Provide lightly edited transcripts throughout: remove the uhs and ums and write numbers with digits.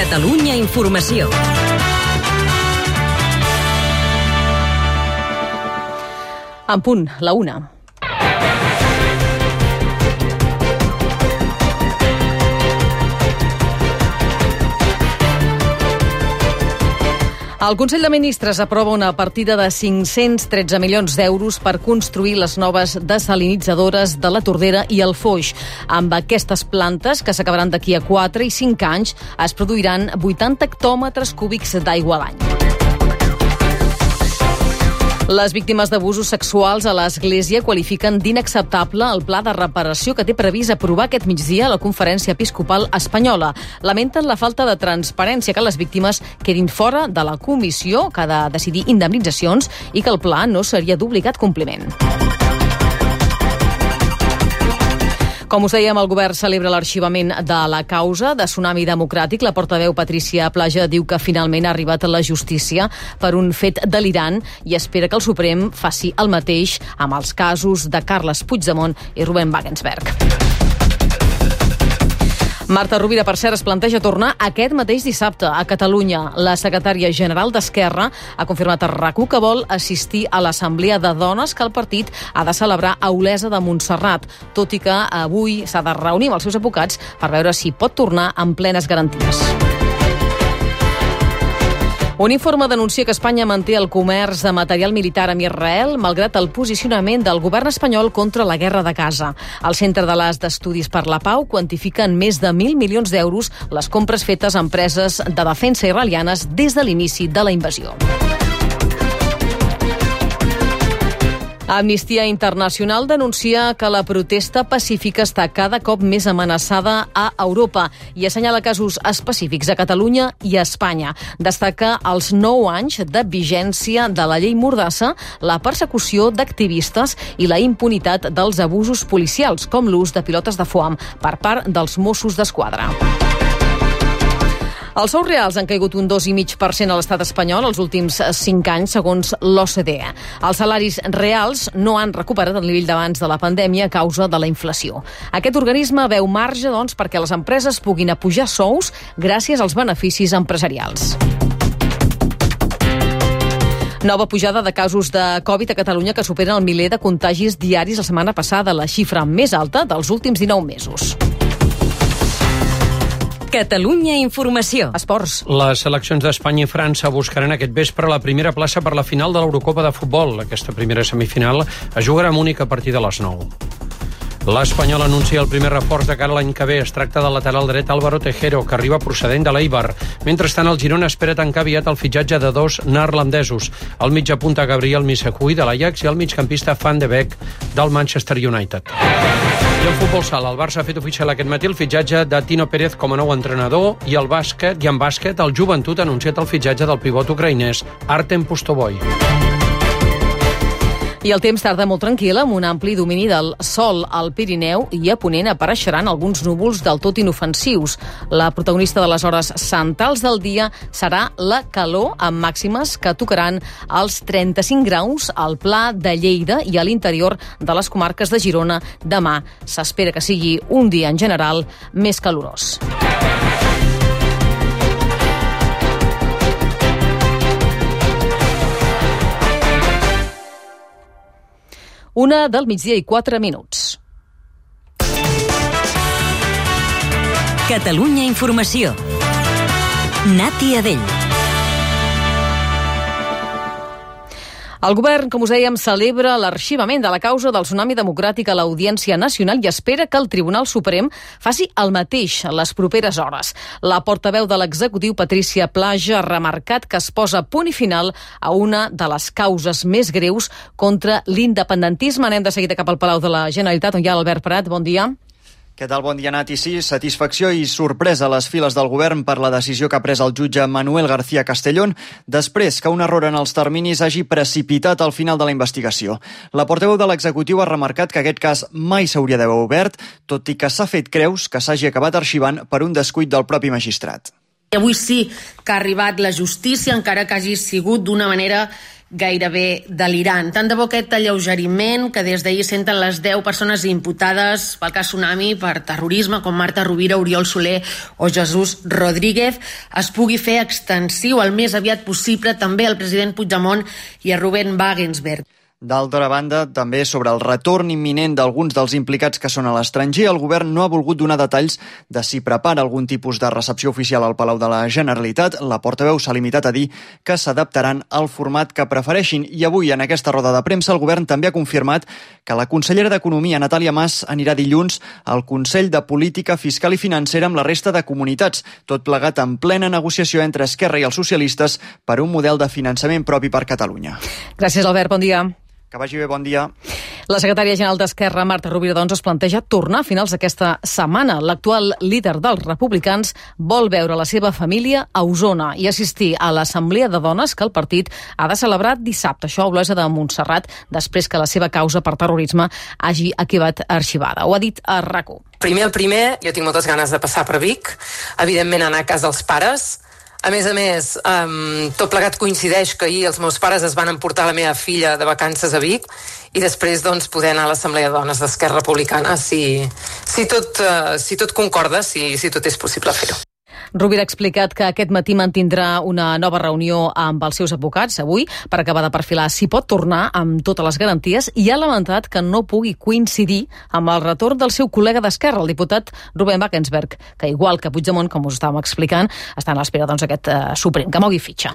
Catalunya Informació. En punt, la 1. El Consell de Ministres aprova una partida de 513 milions d'euros per construir les noves desalinitzadores de la Tordera i el Foix. Amb aquestes plantes, que s'acabaran d'aquí a 4 i 5 anys, es produiran 80 hectòmetres cúbics d'aigua a l'any. Les víctimes d'abusos sexuals a l'Església qualifiquen d'inacceptable el pla de reparació que té previst aprovar aquest migdia a la Conferència Episcopal Espanyola. Lamenten la falta de transparència, que les víctimes quedin fora de la comissió que ha de decidir indemnitzacions i que el pla no seria d'obligat compliment. Com us dèiem, el govern celebra l'arxivament de la causa de Tsunami Democràtic. La portaveu Patricia Plaja diu que finalment ha arribat a la justícia per un fet delirant i espera que el Suprem faci el mateix amb els casos de Carles Puigdemont i Rubén Wagensberg. Marta Rovira, per cert, es planteja tornar aquest mateix dissabte a Catalunya. La secretària general d'Esquerra ha confirmat a RAC1 que vol assistir a l'assemblea de dones que el partit ha de celebrar a Olesa de Montserrat, tot i que avui s'ha de reunir amb els seus advocats per veure si pot tornar amb plenes garanties. Un informe denuncia que Espanya manté el comerç de material militar amb Israel malgrat el posicionament del govern espanyol contra la guerra de Gaza. El Centre de l'As d'Estudis per la Pau quantifica en més de 1.000 milions d'euros les compres fetes a empreses de defensa israelianes des de l'inici de la invasió. Amnistia Internacional denuncia que la protesta pacífica està cada cop més amenaçada a Europa i assenyala casos específics a Catalunya i a Espanya. Destaca els 9 anys de vigència de la llei Mordassa, la persecució d'activistes i la impunitat dels abusos policials, com l'ús de pilotes de foam per part dels Mossos d'Esquadra. Els sous reals han caigut un 2,5% a l'estat espanyol els últims 5 anys, segons l'OCDE. Els salaris reals no han recuperat el nivell d'abans de la pandèmia a causa de la inflació. Aquest organisme veu marge, doncs, perquè les empreses puguin apujar sous gràcies als beneficis empresarials. Nova pujada de casos de Covid a Catalunya que superen el miler de contagis diaris la setmana passada, la xifra més alta dels últims 19 mesos. Catalunya Informació. Esports. Les seleccions d'Espanya i França buscaran aquest vespre la primera plaça per la final de l'Eurocopa de futbol. Aquesta primera semifinal es jugarà a Múnich a partir de les 9. L'Espanyol anuncia el primer reforç de cara a l'any que ve. Es tracta del lateral dret Álvaro Tejero, que arriba procedent de l'Eibar. Mentrestant, el Girona espera tancar aviat el fitxatge de 2 neerlandesos. El mitjapunta Gabriel Missehui de l'Ajax i el migcampista Van de Beek del Manchester United. I en futbol sala, el Barça ha fet oficial aquest matí el fitxatge de Tino Pérez com a nou entrenador i en bàsquet el Joventut ha anunciat el fitxatge del pivot ucraïnès Artem Pustovoy. I el temps tarda molt tranquil, amb un ampli domini del sol al Pirineu i a Ponent apareixeran alguns núvols del tot inofensius. La protagonista de les hores centrals del dia serà la calor, amb màximes que tocaran els 35 graus al Pla de Lleida i a l'interior de les comarques de Girona. Demà s'espera que sigui un dia en general més calorós. Una del migdia i 4 minuts. Catalunya Informació. Nati Adell. El govern, com us dèiem, celebra l'arxivament de la causa del Tsunami Democràtic a l'Audiència Nacional i espera que el Tribunal Suprem faci el mateix a les properes hores. La portaveu de l'executiu, Patricia Plaja, ha remarcat que es posa punt i final a una de les causes més greus contra l'independentisme. Anem de seguida cap al Palau de la Generalitat, on hi ha l'Albert Prat. Bon dia. Què tal? Bon dia, Nati. Sí, satisfacció i sorpresa a les files del govern per la decisió que ha pres el jutge Manuel García Castellón després que un error en els terminis hagi precipitat el final de la investigació. La portaveu de l'executiu ha remarcat que aquest cas mai s'hauria d'haver obert, tot i que s'ha fet creus que s'hagi acabat arxivant per un descuit del propi magistrat. Avui sí que ha arribat la justícia, encara que hagi sigut d'una manera gairebé delirant. Tant de bo aquest alleugeriment que des d'ahir senten les 10 persones imputades pel cas Tsunami per terrorisme, com Marta Rovira, Oriol Soler o Jesús Rodríguez, es pugui fer extensiu el més aviat possible també al president Puigdemont i a Ruben Wagensberg. D'altra banda, també sobre el retorn imminent d'alguns dels implicats que són a l'estranger, el govern no ha volgut donar detalls de si prepara algun tipus de recepció oficial al Palau de la Generalitat. La portaveu s'ha limitat a dir que s'adaptaran al format que prefereixin. I avui, en aquesta roda de premsa, el govern també ha confirmat que la consellera d'Economia, Natàlia Mas, anirà dilluns al Consell de Política Fiscal i Financera amb la resta de comunitats, tot plegat en plena negociació entre Esquerra i els socialistes per un model de finançament propi per Catalunya. Gràcies, Albert. Bon dia. Que vagi bé, bon dia. La secretària general d'Esquerra, Marta Rovira, doncs, es planteja tornar a finals d'aquesta setmana. L'actual líder dels republicans vol veure la seva família a Osona i assistir a l'assemblea de dones que el partit ha de celebrar dissabte. Això a Olesa de Montserrat, després que la seva causa per terrorisme hagi acabat arxivada. Ho ha dit a RAC1. Primer, jo tinc moltes ganes de passar per Vic, evidentment anar a casa dels pares. A més, tot plegat coincideix que ahir els meus pares es van emportar la meva filla de vacances a Vic i després poder anar a l'Assemblea de Dones d'Esquerra Republicana si tot concorda, si tot és possible fer-ho. Rovira ha explicat que aquest matí mantindrà una nova reunió amb els seus advocats avui per acabar de perfilar si pot tornar amb totes les garanties i ha lamentat que no pugui coincidir amb el retorn del seu col·lega d'Esquerra, el diputat Ruben Wagensberg, que igual que Puigdemont, com us estàvem explicant, està a l'espera aquest Suprem, que mogui fitxa.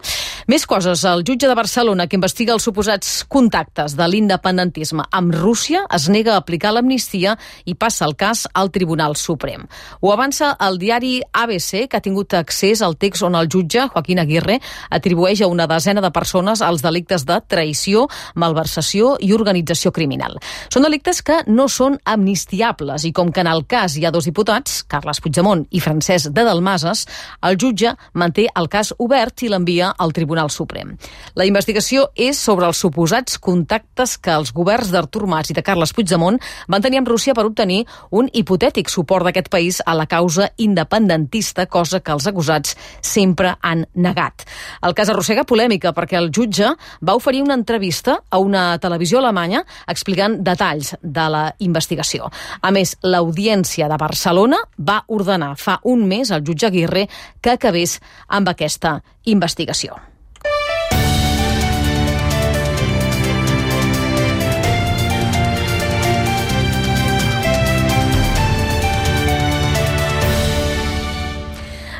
Més coses. El jutge de Barcelona, que investiga els suposats contactes de l'independentisme amb Rússia, es nega a aplicar l'amnistia i passa el cas al Tribunal Suprem. Ho avança el diari ABC, que ha tingut accés al text on el jutge, Joaquín Aguirre, atribueix a una desena de persones els delictes de traïció, malversació i organització criminal. Són delictes que no són amnistiables i com que en el cas hi ha dos diputats, Carles Puigdemont i Francesc de Dalmases, el jutge manté el cas obert i l'envia al Tribunal Suprem. La investigació és sobre els suposats contactes que els governs d'Artur Mas i de Carles Puigdemont van tenir amb Rússia per obtenir un hipotètic suport d'aquest país a la causa independentista, cosa que els acusats sempre han negat. El cas arrossega polèmica perquè el jutge va oferir una entrevista a una televisió alemanya explicant detalls de la investigació. A més, l'Audiència de Barcelona va ordenar fa un mes al jutge Aguirre que acabés amb aquesta investigació.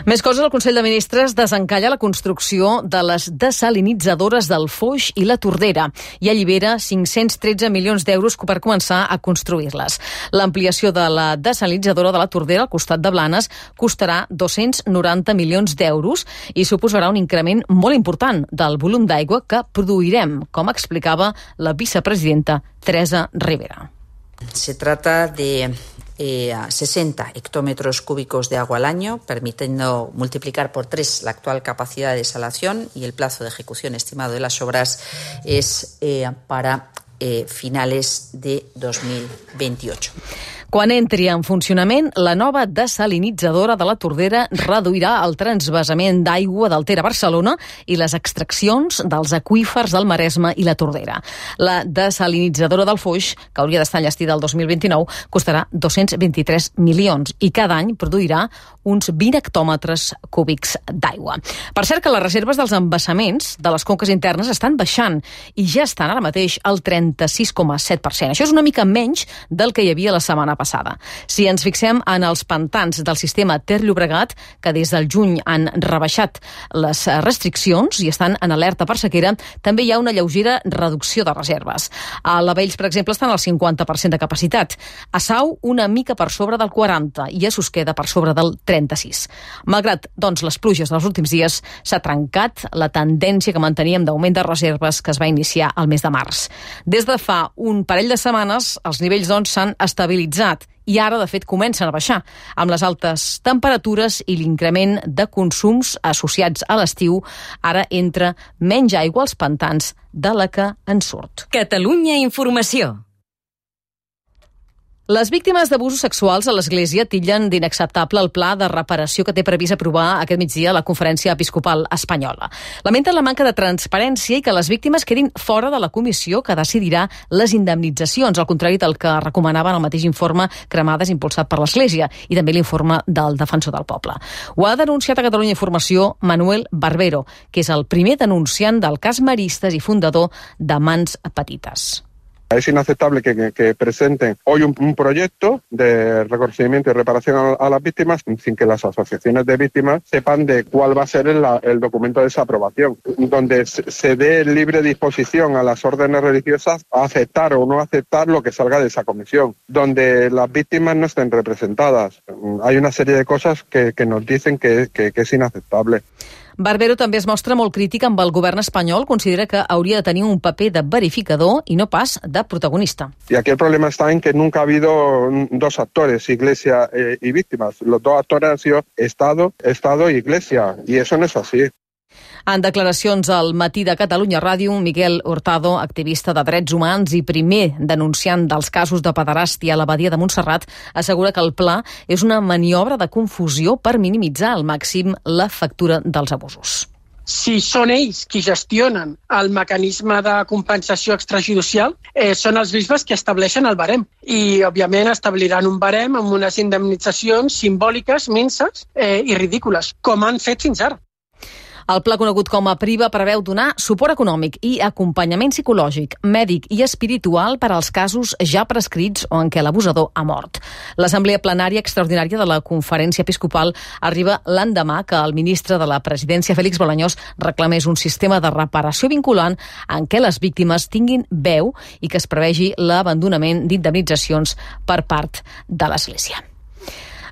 Més coses, el Consell de Ministres desencalla la construcció de les desalinitzadores del Foix i la Tordera i allibera 513 milions d'euros per començar a construir-les. L'ampliació de la desalinitzadora de la Tordera al costat de Blanes costarà 290 milions d'euros i suposarà un increment molt important del volum d'aigua que produirem, com explicava la vicepresidenta Teresa Rivera. Se trata de 60 hectómetros cúbicos de agua al año, permitiendo multiplicar por 3 la actual capacidad de desalación y el plazo de ejecución estimado de las obras es para finales de 2028. Quan entri en funcionament, la nova desalinitzadora de la Tordera reduirà el transvasament d'aigua del Ter a Barcelona i les extraccions dels aqüífers del Maresme i la Tordera. La desalinitzadora del Foix, que hauria d'estar enllestida el 2029, costarà 223 milions i cada any produirà uns 20 hectòmetres cúbics d'aigua. Per cert que les reserves dels embassaments de les conques internes estan baixant i ja estan ara mateix al 36,7%. Això és una mica menys del que hi havia la setmana passada. Si ens fixem en els pantans del sistema Ter-Llobregat, que des del juny han rebaixat les restriccions i estan en alerta per sequera, també hi ha una lleugera reducció de reserves. A la Vells, per exemple, estan al 50% de capacitat. A Sau, una mica per sobre del 40% i a Susqueda per sobre del 36%. Malgrat, doncs, les pluges dels últims dies, s'ha trencat la tendència que manteníem d'augment de reserves que es va iniciar al mes de març. Des de fa un parell de setmanes, els nivells, doncs, s'han estabilitzat i ara, de fet, comencen a baixar. Amb les altes temperatures i l'increment de consums associats a l'estiu, ara entra menys aigua als pantans de la que en surt. Catalunya Informació. Les víctimes d'abusos sexuals a l'Església titllen d'inacceptable el pla de reparació que té previst aprovar aquest migdia la Conferència Episcopal Espanyola. Lamenten la manca de transparència i que les víctimes quedin fora de la comissió que decidirà les indemnitzacions, al contrari del que recomanaven el mateix informe Cremades impulsat per l'Església i també l'informe del Defensor del Poble. Ho ha denunciat a Catalunya Informació Manuel Barbero, que és el primer denunciant del cas Maristes i fundador de Mans Petites. Es inaceptable que presenten hoy un proyecto de reconocimiento y reparación a las víctimas sin que las asociaciones de víctimas sepan de cuál va a ser el documento de esa aprobación, donde se dé libre disposición a las órdenes religiosas a aceptar o no aceptar lo que salga de esa comisión, donde las víctimas no estén representadas. Hay una serie de cosas que nos dicen que es inaceptable. Barbero també es mostra molt crític amb el govern espanyol, considera que hauria de tenir un paper de verificador i no pas de protagonista. Y aquí el problema está en que nunca ha habido dos actores, Iglesia y víctimas. Los dos actores han sido Estado y Iglesia, y eso no es así. En declaracions al Matí de Catalunya Ràdio, Miguel Hurtado, activista de drets humans i primer denunciant dels casos de pederàstia a l'abadia de Montserrat, assegura que el pla és una maniobra de confusió per minimitzar al màxim la factura dels abusos. Si són ells qui gestionen el mecanisme de compensació extrajudicial, són els bisbes que estableixen el barem. I, òbviament, establiran un barem amb unes indemnitzacions simbòliques, minses i ridícules, com han fet fins ara. El pla conegut com a PRIVA preveu donar suport econòmic i acompanyament psicològic, mèdic i espiritual per als casos ja prescrits o en què l'abusador ha mort. L'Assemblea Plenària Extraordinària de la Conferència Episcopal arriba l'endemà que el ministre de la Presidència, Félix Bolañós, reclamés un sistema de reparació vinculant en què les víctimes tinguin veu i que es prevegi l'abandonament d'indemnitzacions per part de l'Església.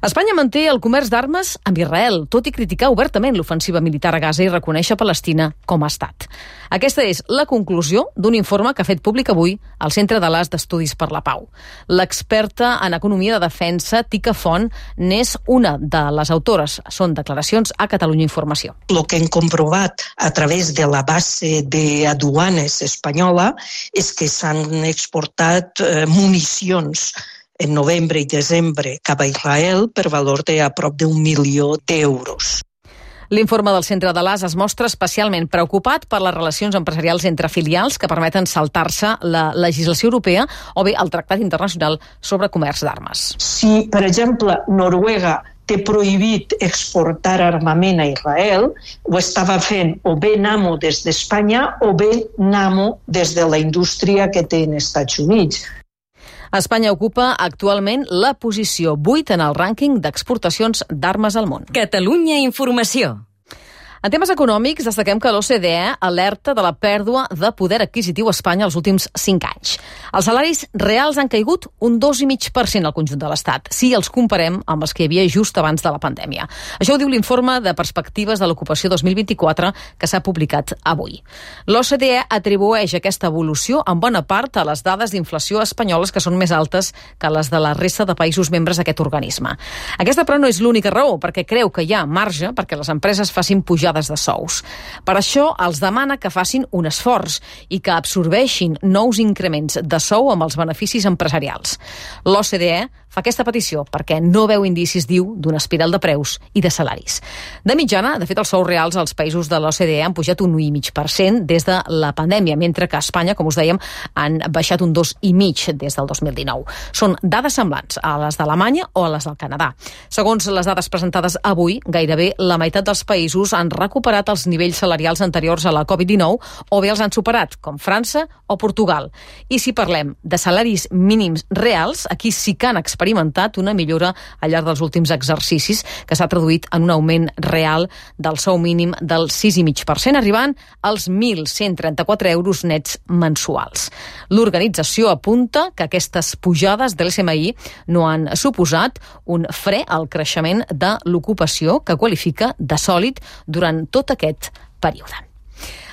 Espanya manté el comerç d'armes amb Israel, tot i criticar obertament l'ofensiva militar a Gaza i reconèixer Palestina com a estat. Aquesta és la conclusió d'un informe que ha fet públic avui al Centre d'Alàs d'Estudis per la Pau. L'experta en economia de defensa, Tica Font, n'és una de les autores. Són declaracions a Catalunya Informació. Lo que hem comprovat a través de la base de aduanes espanyola és que s'han exportat municions en novembre i desembre cap a Israel per valor de a prop d'1 milió d'euros. L'informe del Centre d'Alàs es mostra especialment preocupat per les relacions empresarials entre filials que permeten saltar-se la legislació europea o bé el Tractat Internacional sobre Comerç d'Armes. Si, per exemple, Noruega té prohibit exportar armament a Israel, ho estava fent o bé Nammo des d'Espanya o bé Nammo des de la indústria que té en Estats Units. Espanya ocupa actualment la posició 8 en el rànquing d'exportacions d'armes al món. Catalunya Informació. En temes econòmics, destaquem que l'OCDE alerta de la pèrdua de poder adquisitiu a Espanya els últims 5 anys. Els salaris reals han caigut un 2,5% al conjunt de l'Estat, si els comparem amb els que hi havia just abans de la pandèmia. Això ho diu l'informe de perspectives de l'ocupació 2024 que s'ha publicat avui. L'OCDE atribueix aquesta evolució en bona part a les dades d'inflació espanyoles que són més altes que les de la resta de països membres d'aquest organisme. Aquesta, però, no és l'única raó, perquè creu que hi ha marge perquè les empreses facin pujades de sous. Per això els demana que facin un esforç i que absorbeixin nous increments de sou amb els beneficis empresarials. L'OCDE fa aquesta petició perquè no veu indicis, diu, d'una espiral de preus i de salaris. De mitjana, de fet, els sous reals als països de l'OCDE han pujat un 1,5% des de la pandèmia, mentre que a Espanya, com us dèiem, han baixat un 2,5% des del 2019. Són dades semblants a les d'Alemanya o a les del Canadà. Segons les dades presentades avui, gairebé la meitat dels països han recuperat els nivells salarials anteriors a la Covid-19 o bé els han superat, com França o Portugal. I si parlem de salaris mínims reals, aquí sí que han experimentat una millora al llarg dels últims exercicis que s'ha traduït en un augment real del sou mínim del 6,5%, arribant als 1.134 euros nets mensuals. L'organització apunta que aquestes pujades de l'SMI no han suposat un fre al creixement de l'ocupació que qualifica de sòlid durant tot aquest període.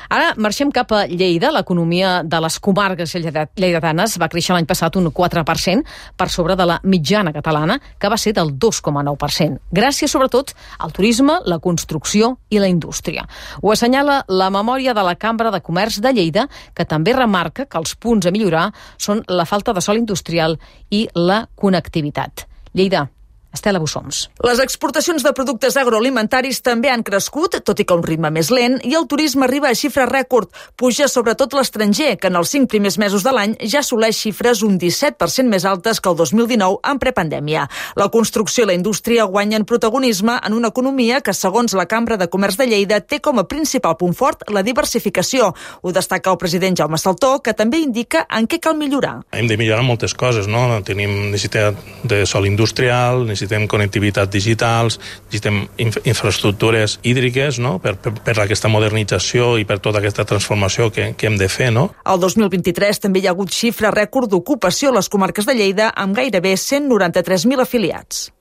Ara marxem cap a Lleida. L'economia de les comarques lleidatanes va créixer l'any passat un 4% per sobre de la mitjana catalana, que va ser del 2,9%, gràcies sobretot al turisme, la construcció i la indústria. Ho assenyala la memòria de la Cambra de Comerç de Lleida, que també remarca que els punts a millorar són la falta de sòl industrial i la connectivitat. Lleida, Estela Bussoms. Les exportacions de productes agroalimentaris també han crescut, tot i que a un ritme més lent, i el turisme arriba a xifres rècord. Puja sobretot l'estranger, que en els 5 primers mesos de l'any ja assoleix xifres un 17% més altes que el 2019 en prepandèmia. La construcció i la indústria guanyen protagonisme en una economia que, segons la Cambra de Comerç de Lleida, té com a principal punt fort la diversificació. Ho destaca el president Jaume Saltó, que també indica en què cal millorar. Hem de millorar moltes coses, no? Tenim necessitat de sòl industrial, necessitem connectivitat digitals, necessitem infraestructures hídriques, no? per aquesta modernització i per tota aquesta transformació que hem de fer, no? El 2023 també hi ha hagut xifra rècord d'ocupació a les comarques de Lleida, amb gairebé 193.000 afiliats.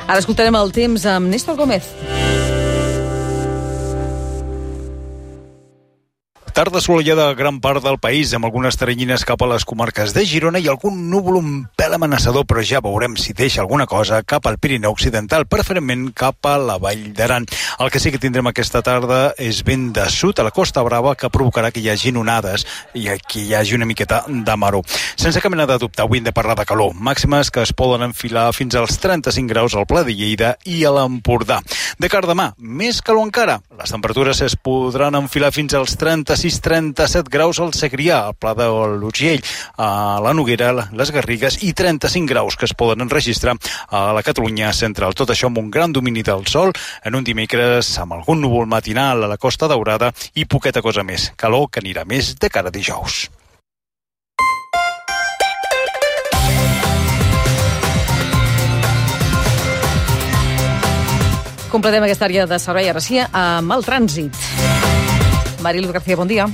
Ara escoltarem el temps amb Néstor Gómez. Tarda assolellada a gran part del país, amb algunes teranyines cap a les comarques de Girona i algun núvol un pèl amenaçador, però ja veurem si deixa alguna cosa cap al Pirineu Occidental, preferentment cap a la Vall d'Aran. El que sí que tindrem aquesta tarda és vent de sud a la Costa Brava, que provocarà que hi hagi onades i que hi hagi una miqueta de maró. Sense cap mena de dubte, avui hem de parlar de calor. Màximes que es poden enfilar fins als 35 graus al Pla de Lleida i a l'Empordà. De cara a demà, més calor encara. Les temperatures es podran enfilar fins als 36-37 graus al Segrià, al Pla de l'Urgell, a la Noguera, les Garrigues, i 35 graus que es poden enregistrar a la Catalunya central. Tot això amb un gran domini del sol, en un dimecres amb algun núvol matinal a la Costa Daurada i poqueta cosa més. Calor que anirà més de cara a dijous. Completem aquesta àrea de servei ara sí amb el trànsit. Marilu García, bon dia.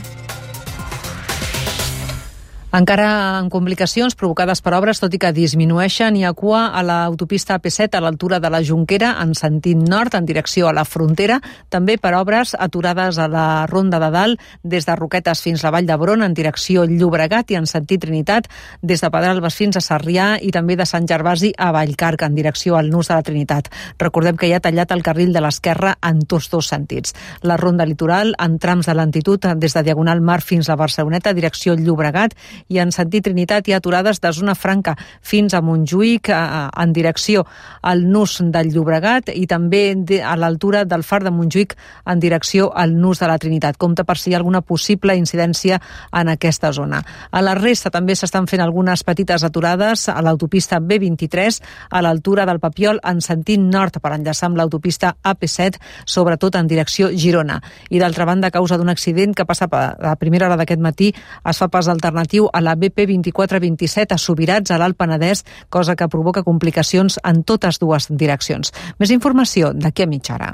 Encara en complicacions provocades per obres, tot i que disminueixen, hi ha cua a l'autopista AP7 a l'altura de la Jonquera en sentit nord, en direcció a la frontera, també per obres aturades a la Ronda de Dalt, des de Roquetes fins a Vall d'Hebron en direcció Llobregat i en sentit Trinitat, des de Pedralbes fins a Sarrià i també de Sant Gervasi a Vallcarca en direcció al Nus de la Trinitat. Recordem que hi ha tallat el carril de l'esquerra en tots dos sentits. La Ronda Litoral en trams de lentitud des de Diagonal Mar fins a Barceloneta, direcció Llobregat, i en sentit Trinitat hi ha aturades de Zona Franca fins a Montjuïc en direcció al Nus del Llobregat i també a l'altura del Far de Montjuïc en direcció al Nus de la Trinitat. Compte per si hi ha alguna possible incidència en aquesta zona. A la resta també s'estan fent algunes petites aturades a l'autopista B23 a l'altura del Papiol en sentit nord per enllaçar amb l'autopista AP7, sobretot en direcció Girona. I d'altra banda, a causa d'un accident que passa a primera hora d'aquest matí, es fa pas alternatiu a la BP 2427 a Subirats, a l'Alt Penedès, cosa que provoca complicacions en totes dues direccions. Més informació d'aquí a mitja hora.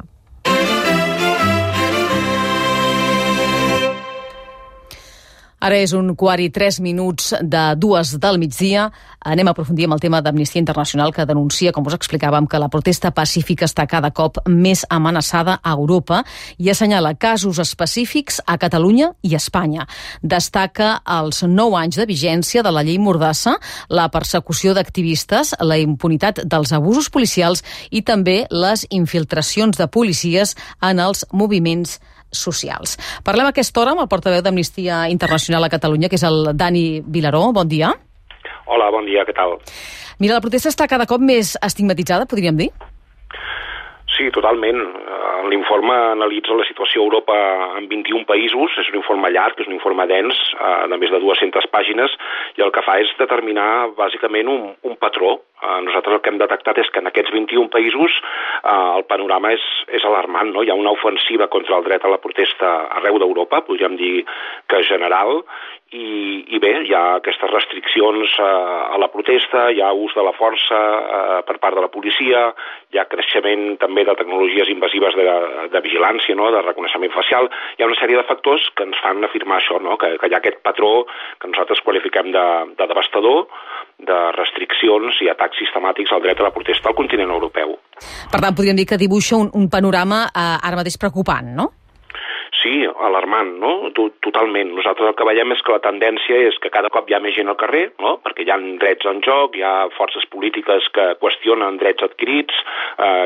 Ara és 1:03 de 2 del migdia. Anem a aprofundir amb el tema d'Amnistia Internacional, que denuncia, com us explicàvem, que la protesta pacífica està cada cop més amenaçada a Europa i assenyala casos específics a Catalunya i a Espanya. Destaca els 9 anys de vigència de la llei Mordassa, la persecució d'activistes, la impunitat dels abusos policials i també les infiltracions de policies en els moviments socials. Parlem a aquesta hora amb el portaveu d'Amnistia Internacional a Catalunya, que és el Dani Vilaró. Bon dia. Hola, bon dia, què tal? Mira, la protesta està cada cop més estigmatitzada, podríem dir? Sí, totalment. L'informe analitza la situació a Europa en 21 països, és un informe llarg, és un informe dens, de més de 200 pàgines, i el que fa és determinar bàsicament un patró. Nosaltres el que hem detectat és que en aquests 21 països el panorama és alarmant, no? Hi ha una ofensiva contra el dret a la protesta arreu d'Europa, podríem dir que general, i bé, hi ha aquestes restriccions a la protesta, hi ha ús de la força per part de la policia, hi ha creixement també de tecnologies invasives de vigilància, no? De reconeixement facial. Hi ha una sèrie de factors que ens fan afirmar això, no? Que hi ha aquest patró que nosaltres qualifiquem de devastador, de restriccions i atacs sistemàtics al dret a la protesta al continent europeu. Per tant, podríem dir que dibuixa un panorama ara mateix preocupant, no? Sí, alarmant, no? Totalment. Nosaltres el que veiem és que la tendència és que cada cop hi ha més gent al carrer, no? Perquè hi ha drets en joc, hi ha forces polítiques que qüestionen drets adquirits,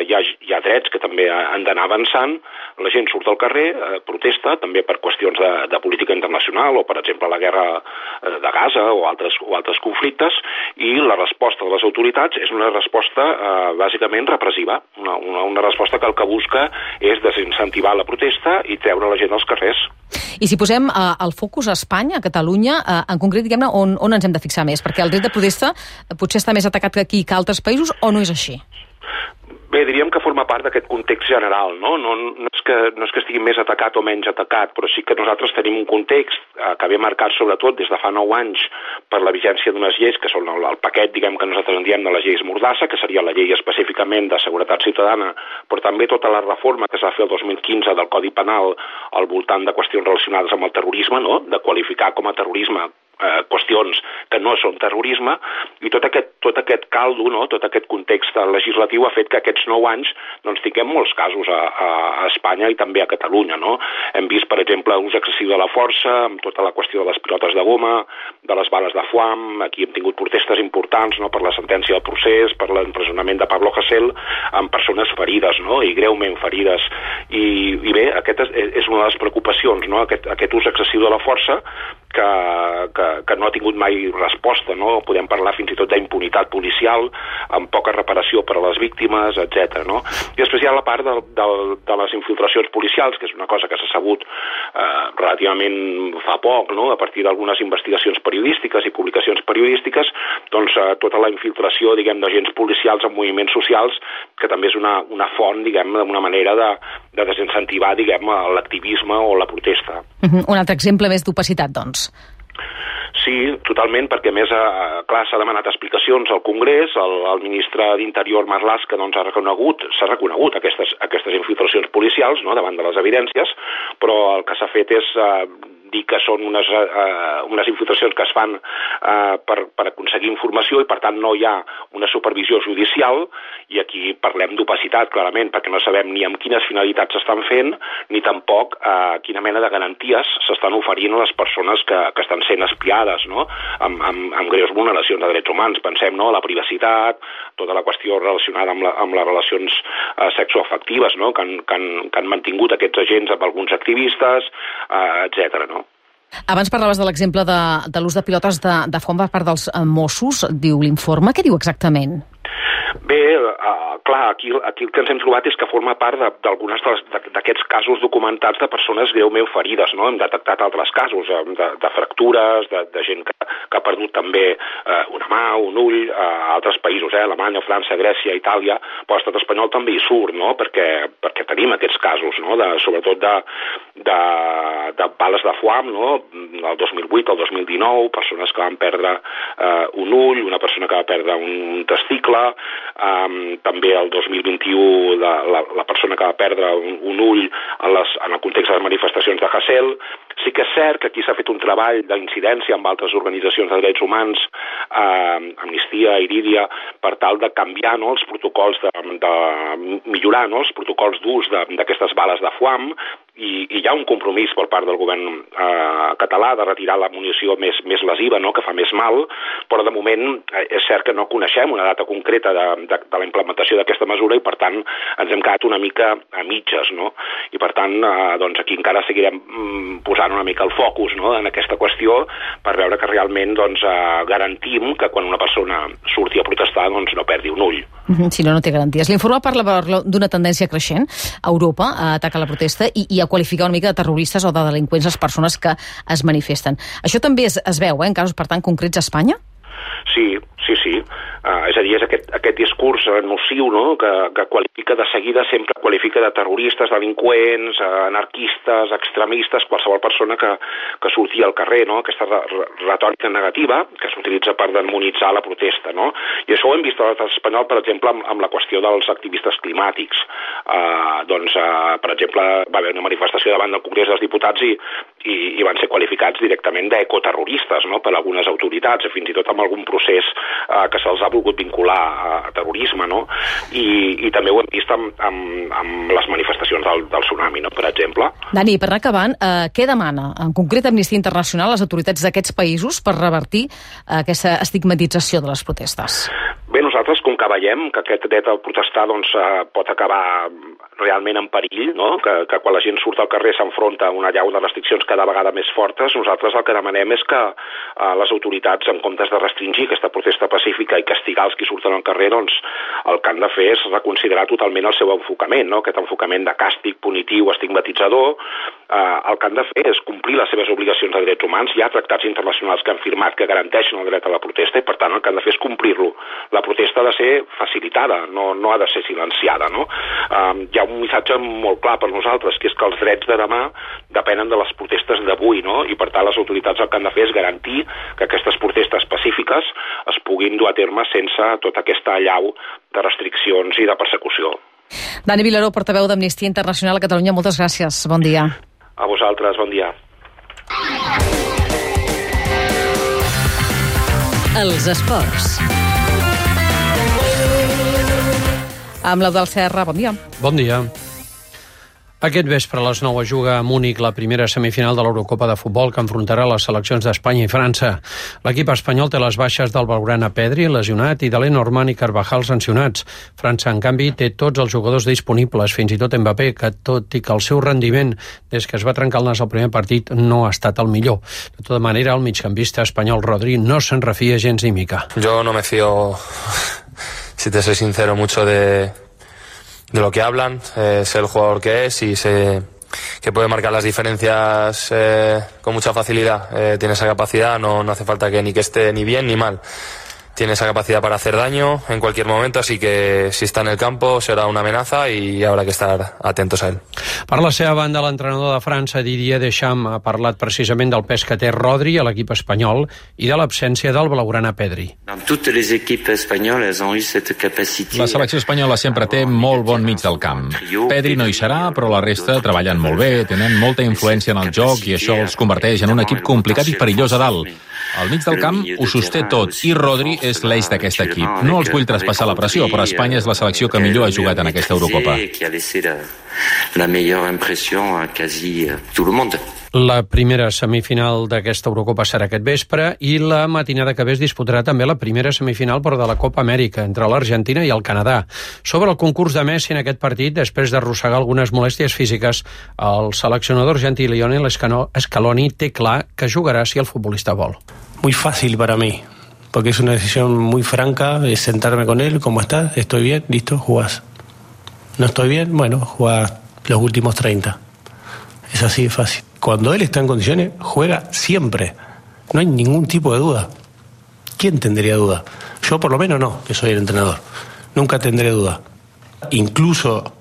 hi ha drets que també han d'anar avançant, la gent surt al carrer, protesta, també per qüestions de política internacional o, per exemple, la guerra de Gaza o altres conflictes, i la resposta de les autoritats és una resposta bàsicament repressiva, una resposta que el que busca és desincentivar la protesta i treure la gent als carrers. I si posem el focus a Espanya, a Catalunya, en concret, diguem-ne, on ens hem de fixar més? Perquè el dret de protesta potser està més atacat que aquí que altres països, o no és així? Bé, diríem que forma part d'aquest context general, no? No és que estigui més atacat o menys atacat, però sí que nosaltres tenim un context que ve marcat sobretot des de fa 9 anys per la vigència d'unes lleis que són el paquet, diguem, que nosaltres en diem de les lleis Mordassa, que seria la llei específicament de seguretat ciutadana, però també tota la reforma que es va fer el 2015 del Codi Penal al voltant de qüestions relacionades amb el terrorisme, no? De qualificar com a terrorisme qüestions que no són terrorisme, i tot aquest caldo, no? Tot aquest context legislatiu ha fet que aquests 9 anys doncs, tinguem molts casos a Espanya i també a Catalunya, no? Hem vist, per exemple, ús excessiu de la força, amb tota la qüestió de les pilotes de goma, de les bales de foam. Aquí hem tingut protestes importants, no? Per la sentència del procés, per l'empresonament de Pablo Hasél, amb persones ferides, no? I greument ferides. I bé, aquest és una de les preocupacions, no? Aquest ús excessiu de la força que no ha tingut mai resposta, no? Podem parlar fins i tot d'impunitat policial, amb poca reparació per a les víctimes, etc. No? I després hi ha la part de les infiltracions policials, que és una cosa que s'ha sabut relativament fa poc, no? A partir d'algunes investigacions periodístiques i publicacions periodístiques, doncs tota la infiltració, diguem, d'agents policials en moviments socials, que també és una font, diguem, d'una manera de desincentivar, diguem, l'activisme o la protesta. Un altre exemple més d'opacitat, doncs. Sí, totalment, perquè a més, clar, s'ha demanat explicacions al Congrés, el ministre d'Interior Marlaska doncs, s'ha reconegut aquestes infiltracions policials, no?, davant de les evidències, però el que s'ha fet és dir que són unes infiltracions que es fan per aconseguir informació i, per tant, no hi ha una supervisió judicial, i aquí parlem d'opacitat, clarament, perquè no sabem ni amb quines finalitats s'estan fent, ni tampoc quina mena de garanties s'estan oferint a les persones que estan sent espiades, no?, amb greus vulneracions de drets humans. Pensem, no?, la privacitat, tota la qüestió relacionada amb les relacions sexoafectives, no?, que han mantingut aquests agents amb alguns activistes, etc. No? Abans parlaves de l'exemple de l'ús de pilotes de foam per part dels Mossos, diu l'informe. Què diu exactament? Bé, clar, aquí el que ens hem trobat és que forma part d'alguns d'aquests casos documentats de persones greument ferides, no? Hem detectat altres casos de fractures, de gent que ha perdut també una mà, un ull, a altres països, Alemanya, França, Grècia, Itàlia, però l'estat espanyol també hi surt, no? Perquè tenim aquests casos, no? Sobretot de bales de foam, no? El 2008, el 2019, persones que van perdre un ull, una persona que va perdre un testicle, també el 2021 la persona que va perdre un ull en el context de les manifestacions de Hasél. Sí que és cert que aquí s'ha fet un treball d'incidència amb altres organitzacions de drets humans, Amnistia, Irídia, per tal de canviar, no, els protocols, de millorar, no, els protocols d'ús d'aquestes bales de foam, i hi ha un compromís per part del govern català de retirar la munició més lesiva, no?, que fa més mal, però de moment és cert que no coneixem una data concreta de la implementació d'aquesta mesura i, per tant, ens hem quedat una mica a mitges, no? I, per tant, doncs aquí encara seguirem posant una mica el focus, no?, en aquesta qüestió per veure que realment doncs, garantim que quan una persona surti a protestar doncs, no perdi un ull. Si no, no té garanties. L'informe parla d'una tendència creixent a Europa a atacar la protesta i a qualificar una mica de terroristes o de delinqüents les persones que es manifesten. Això també es veu, en casos, per tant, concrets a Espanya? Sí. És a dir, és aquest discurs nociu, no?, que qualifica de seguida, sempre qualifica de terroristes, delinqüents, anarquistes, extremistes, qualsevol persona que surti al carrer, no?, aquesta retòrica negativa que s'utilitza per demonitzar la protesta, no? I això ho hem vist a l'estat espanyol, per exemple, amb la qüestió dels activistes climàtics. Per exemple, va haver una manifestació davant del Congrés dels Diputats i van ser qualificats directament d'ecoterroristes, no?, per algunes autoritats, fins i tot amb algun procés que se'ls ha volgut vincular a terrorisme, no? I també ho hem vist amb les manifestacions del tsunami, no?, per exemple. Dani, per anar acabant, què demana en concret Amnistia Internacional a les autoritats d'aquests països per revertir aquesta estigmatització de les protestes? Bé, nosaltres, com que veiem que aquest dret a protestar pot acabar realment en perill, no?, que quan la gent surt al carrer s'enfronta a una allau de restriccions cada vegada més fortes, nosaltres el que demanem és que les autoritats, en comptes de restringir aquesta protesta pacífica i castigar els que surten al carrer, doncs el que han de fer és reconsiderar totalment el seu enfocament, no?, aquest enfocament de càstig, punitiu, estigmatitzador. El que han de fer és complir les seves obligacions de drets humans. Hi ha tractats internacionals que han firmat que garanteixen el dret a la protesta i, per tant, el que han de fer és complir-lo. La protesta ha de ser facilitada, no ha de ser silenciada, no? Hi ha un missatge molt clar per nosaltres, que és que els drets de demà depenen de les protestes d'avui, no? I, per tant, les autoritats el que han de fer és garantir que aquestes protestes pacífiques es puguin dur a terme sense tota aquesta allau de restriccions i de persecució. Dani Vilaró, portaveu d'Amnistia Internacional a Catalunya, moltes gràcies. Bon dia. A vosaltres, bon dia. Els esports. Amb l'Eudald Serra, bon dia. Bon dia. Aquest vespre a les 9 juga a Múnich la primera semifinal de l'Eurocopa de futbol que enfrontarà les seleccions d'Espanya i França. L'equip espanyol té les baixes del Blaugrana Pedri, lesionat, i de Lenormand i Carvajal sancionats. França, en canvi, té tots els jugadors disponibles, fins i tot Mbappé, que tot i que el seu rendiment des que es va trencar el nas al primer partit no ha estat el millor. De tota manera, el migcampista espanyol Rodri no se'n refia gens ni mica. Yo no me fío, si te soy sincero, mucho de lo que hablan, sé el jugador que es y sé que puede marcar las diferencias con mucha facilidad. Tiene esa capacidad, no hace falta que esté ni bien ni mal. Tiene esa capacidad para hacer daño en cualquier momento, así que si está en el campo será una amenaza y habrá que estar atentos a él. Per la seva banda, l'entrenador de França, Didier Deschamps, ha parlat precisament del pes que té Rodri a l'equip espanyol i de l'absència del Blaugrana Pedri. La selecció espanyola sempre té molt bon mig del camp. Pedri no hi serà, però la resta treballen molt bé, tenen molta influència en el joc i això els converteix en un equip complicat i perillós a dalt. Al mig del camp ho sosté tot i Rodri és l'eix d'aquest equip. No els vull traspassar la pressió, però Espanya és la selecció que millor ha jugat en aquesta Eurocopa. La primera semifinal d'aquesta Eurocopa serà aquest vespre i la matinada que ve es disputarà també la primera semifinal però de la Copa Amèrica entre l'Argentina i el Canadà. Sobre el concurs de Messi en aquest partit, després d'arrossegar algunes molèsties físiques, el seleccionador argentí Lionel Scaloni té clar que jugarà si el futbolista vol. Muy fácil para mí, porque es una decisión muy franca, es sentarme con él, ¿cómo estás? ¿Estoy bien? Listo, jugás. ¿No estoy bien? Bueno, jugás los últimos 30. Es así de fácil. Cuando él está en condiciones, juega siempre. No hay ningún tipo de duda. ¿Quién tendría duda? Yo por lo menos no, que soy el entrenador. Nunca tendré duda. Incluso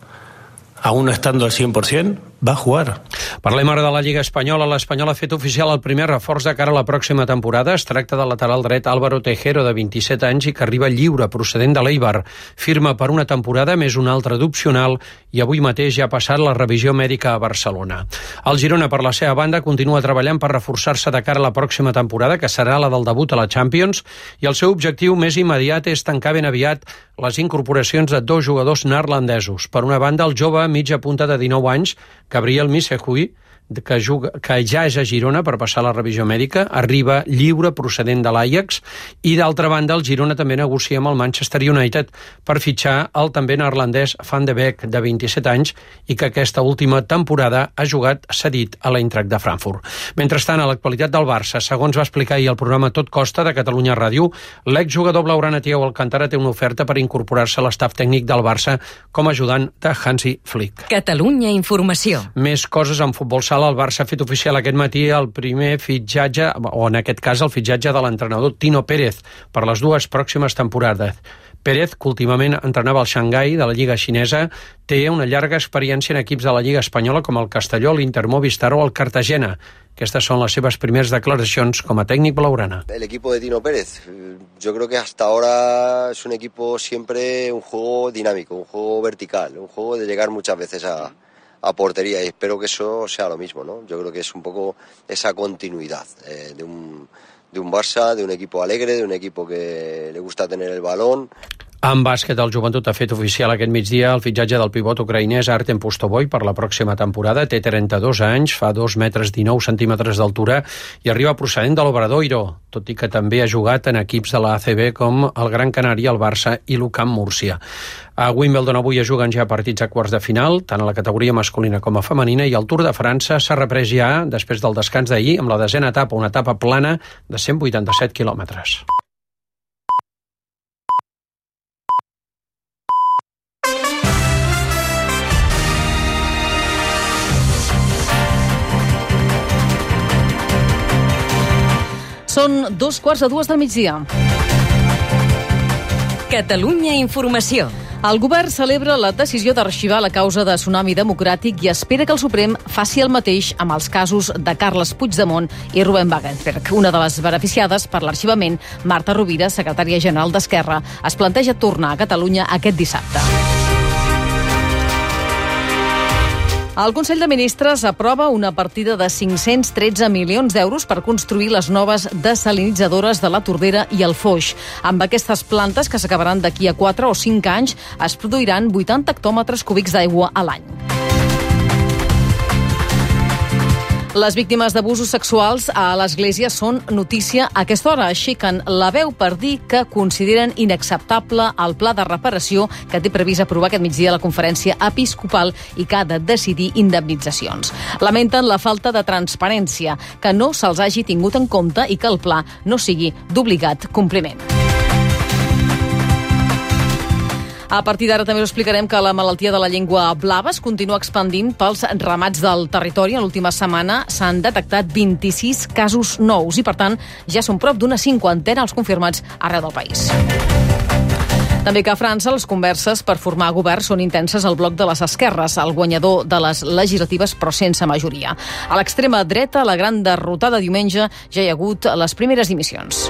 aún no estando al 100%, va a jugar. Parlem ara de la Lliga Espanyola. L'Espanyol ha fet oficial el primer reforç de cara a la pròxima temporada. Es tracta del lateral dret Álvaro Tejero, de 27 anys, i que arriba lliure, procedent de l'Eibar. Firma per una temporada més una altra d'opcional i avui mateix ja ha passat la revisió mèdica a Barcelona. El Girona, per la seva banda, continua treballant per reforçar-se de cara a la pròxima temporada, que serà la del debut a la Champions, i el seu objectiu més immediat és tancar ben aviat les incorporacions de dos jugadors neerlandesos. Per una banda, el jove mitja punta de 19 anys, Gabriel Missehui, que ja és a Girona per passar la revisió mèdica, arriba lliure procedent de l'Ajax, i d'altra banda el Girona també negocia amb el Manchester United per fitxar el també neerlandès Van de Beek, de 27 anys, i que aquesta última temporada ha jugat cedit a l'Eintracht de Frankfurt. Mentrestant, a l'actualitat del Barça, segons va explicar ahir el programa Tot Costa de Catalunya Ràdio, l'exjugador blaugrana Thiago Alcántara té una oferta per incorporar-se a l'estaf tècnic del Barça com a ajudant de Hansi Flick. Catalunya Informació. Més coses en futbol sala. sala, el Barça ha fet oficial aquest matí el primer fitxatge, o en aquest cas el fitxatge de l'entrenador Tino Pérez per les 2 pròximes temporades. Pérez, que últimament entrenava el Xangai de la Lliga xinesa, té una llarga experiència en equips de la Lliga espanyola com el Castelló, l'Inter Movistar o el Cartagena. Aquestes son las seves primeras declaracions com a técnico blaugrana. El equipo de Tino Pérez, yo creo que hasta ahora es un equipo siempre un juego dinámico, un juego vertical, un juego de llegar muchas veces a portería, y espero que eso sea lo mismo, ¿no? Yo creo que es un poco esa continuidad de un Barça, de un equipo alegre, de un equipo que le gusta tener el balón. En bàsquet, el Joventut ha fet oficial aquest migdia el fitxatge del pivot ucraïnès Artem Pustovoy per la pròxima temporada. Té 32 anys, fa 2 metres 19 centímetres d'altura i arriba procedent de l'Obradoiro, tot i que també ha jugat en equips de la ACB com el Gran Canària, el Barça i l'UCAM Múrcia. A Wimbledon avui es juguen ja partits a quarts de final, tant a la categoria masculina com a femenina, i el Tour de França s'ha reprès ja després del descans d'ahir amb la 10a etapa, una etapa plana de 187 quilòmetres. Són 2:15 del migdia. Catalunya Informació. El govern celebra la decisió d'arxivar la causa de Tsunami Democràtic i espera que el Suprem faci el mateix amb els casos de Carles Puigdemont i Ruben Wagensberg. Una de les beneficiades per l'arxivament, Marta Rovira, secretària general d'Esquerra, es planteja tornar a Catalunya aquest dissabte. El Consell de Ministres aprova una partida de 513 milions d'euros per construir les noves desalinitzadores de la Tordera i el Foix. Amb aquestes plantes, que s'acabaran d'aquí a 4 o 5 anys, es produiran 80 hectòmetres cúbics d'aigua a l'any. Les víctimes d'abusos sexuals a l'Església són notícia a aquesta hora. Aixequen la veu per dir que consideren inacceptable el pla de reparació que té previst aprovar aquest migdia la conferència episcopal i que ha de decidir indemnitzacions. Lamenten la falta de transparència, que no se'ls hagi tingut en compte i que el pla no sigui d'obligat compliment. A partir d'ara també us explicarem que la malaltia de la llengua blava es continua expandint pels ramats del territori. En l'última setmana s'han detectat 26 casos nous i, per tant, ja són prop d'una 50 els confirmats arreu del país. També que a França les converses per formar govern són intenses al bloc de les esquerres, el guanyador de les legislatives però sense majoria. A l'extrema dreta, la gran derrotada diumenge, ja hi ha hagut les primeres dimissions.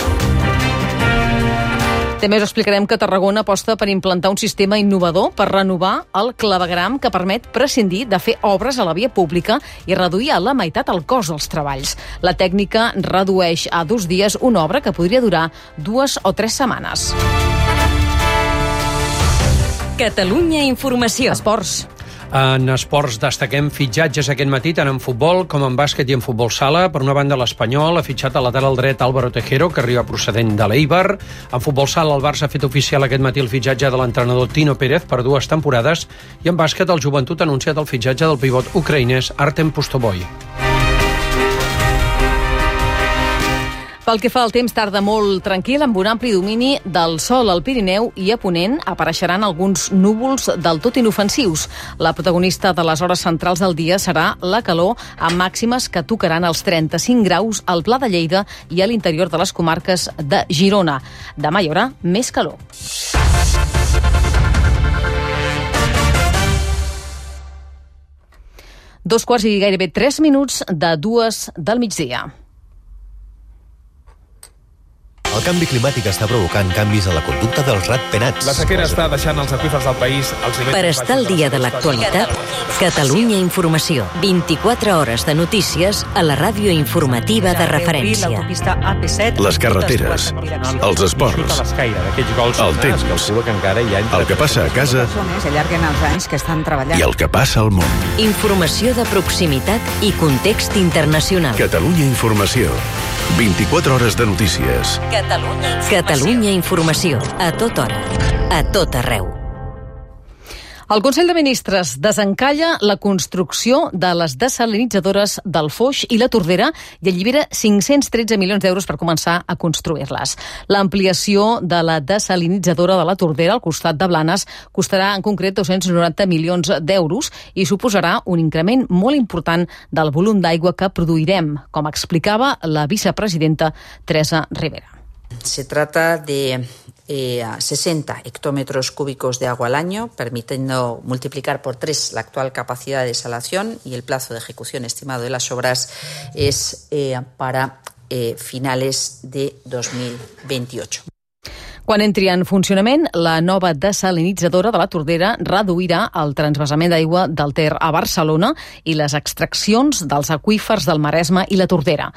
També us explicarem que Tarragona aposta per implantar un sistema innovador per renovar el clavegram que permet prescindir de fer obres a la via pública i reduir a la meitat el cost dels treballs. La tècnica redueix a 2 dies una obra que podria durar 2 o 3 setmanes. Catalunya Informació. Esports. En esports destaquem fitxatges aquest matí, tant en futbol com en bàsquet i en futbol sala. Per una banda, l'Espanyol ha fitxat a lateral dret Álvaro Tejero, que arriba procedent de l'Eibar. En futbol sala, el Barça ha fet oficial aquest matí el fitxatge de l'entrenador Tino Pérez per 2 temporades. I en bàsquet, el Joventut ha anunciat el fitxatge del pivot ucraïnès Artem Pustovoy. Pel que fa al temps, tarda molt tranquil, amb un ampli domini del sol al Pirineu i a Ponent apareixeran alguns núvols del tot inofensius. La protagonista de les hores centrals del dia serà la calor, amb màximes que tocaran els 35 graus al Pla de Lleida i a l'interior de les comarques de Girona. Demà hi haurà més calor. Dos quarts i gairebé 3 minuts de 2 del migdia. El canvi climàtic està provocant canvis a la conducta dels ratpenats. La sequera està deixant els aqüífers del país als nivells... Per estar al dia de l'actualitat, Catalunya Informació. 24 hores de notícies a la ràdio informativa de referència. Les carreteres, els esports, el temps, el que passa a casa i el que passa al món. Informació de proximitat i context internacional. Catalunya Informació. 24 hores de notícies. Catalunya Informació. A tota hora. A tot arreu. El Consell de Ministres desencalla la construcció de les desalinitzadores del Foix i la Tordera i allibera 513 milions d'euros per començar a construir-les. L'ampliació de la desalinitzadora de la Tordera al costat de Blanes costarà en concret 290 milions d'euros i suposarà un increment molt important del volum d'aigua que produirem, com explicava la vicepresidenta Teresa Rivera. Se trata de 60 hectómetros cúbicos de agua al año, permitiendo multiplicar por 3 la actual capacidad de desalación, y el plazo de ejecución estimado de las obras es para finales de 2028. Quan entri en funcionament, la nova desalinitzadora de la Tordera reduirà el transvasament d'aigua del Ter a Barcelona i les extraccions dels aqüífers del Maresme i la Tordera.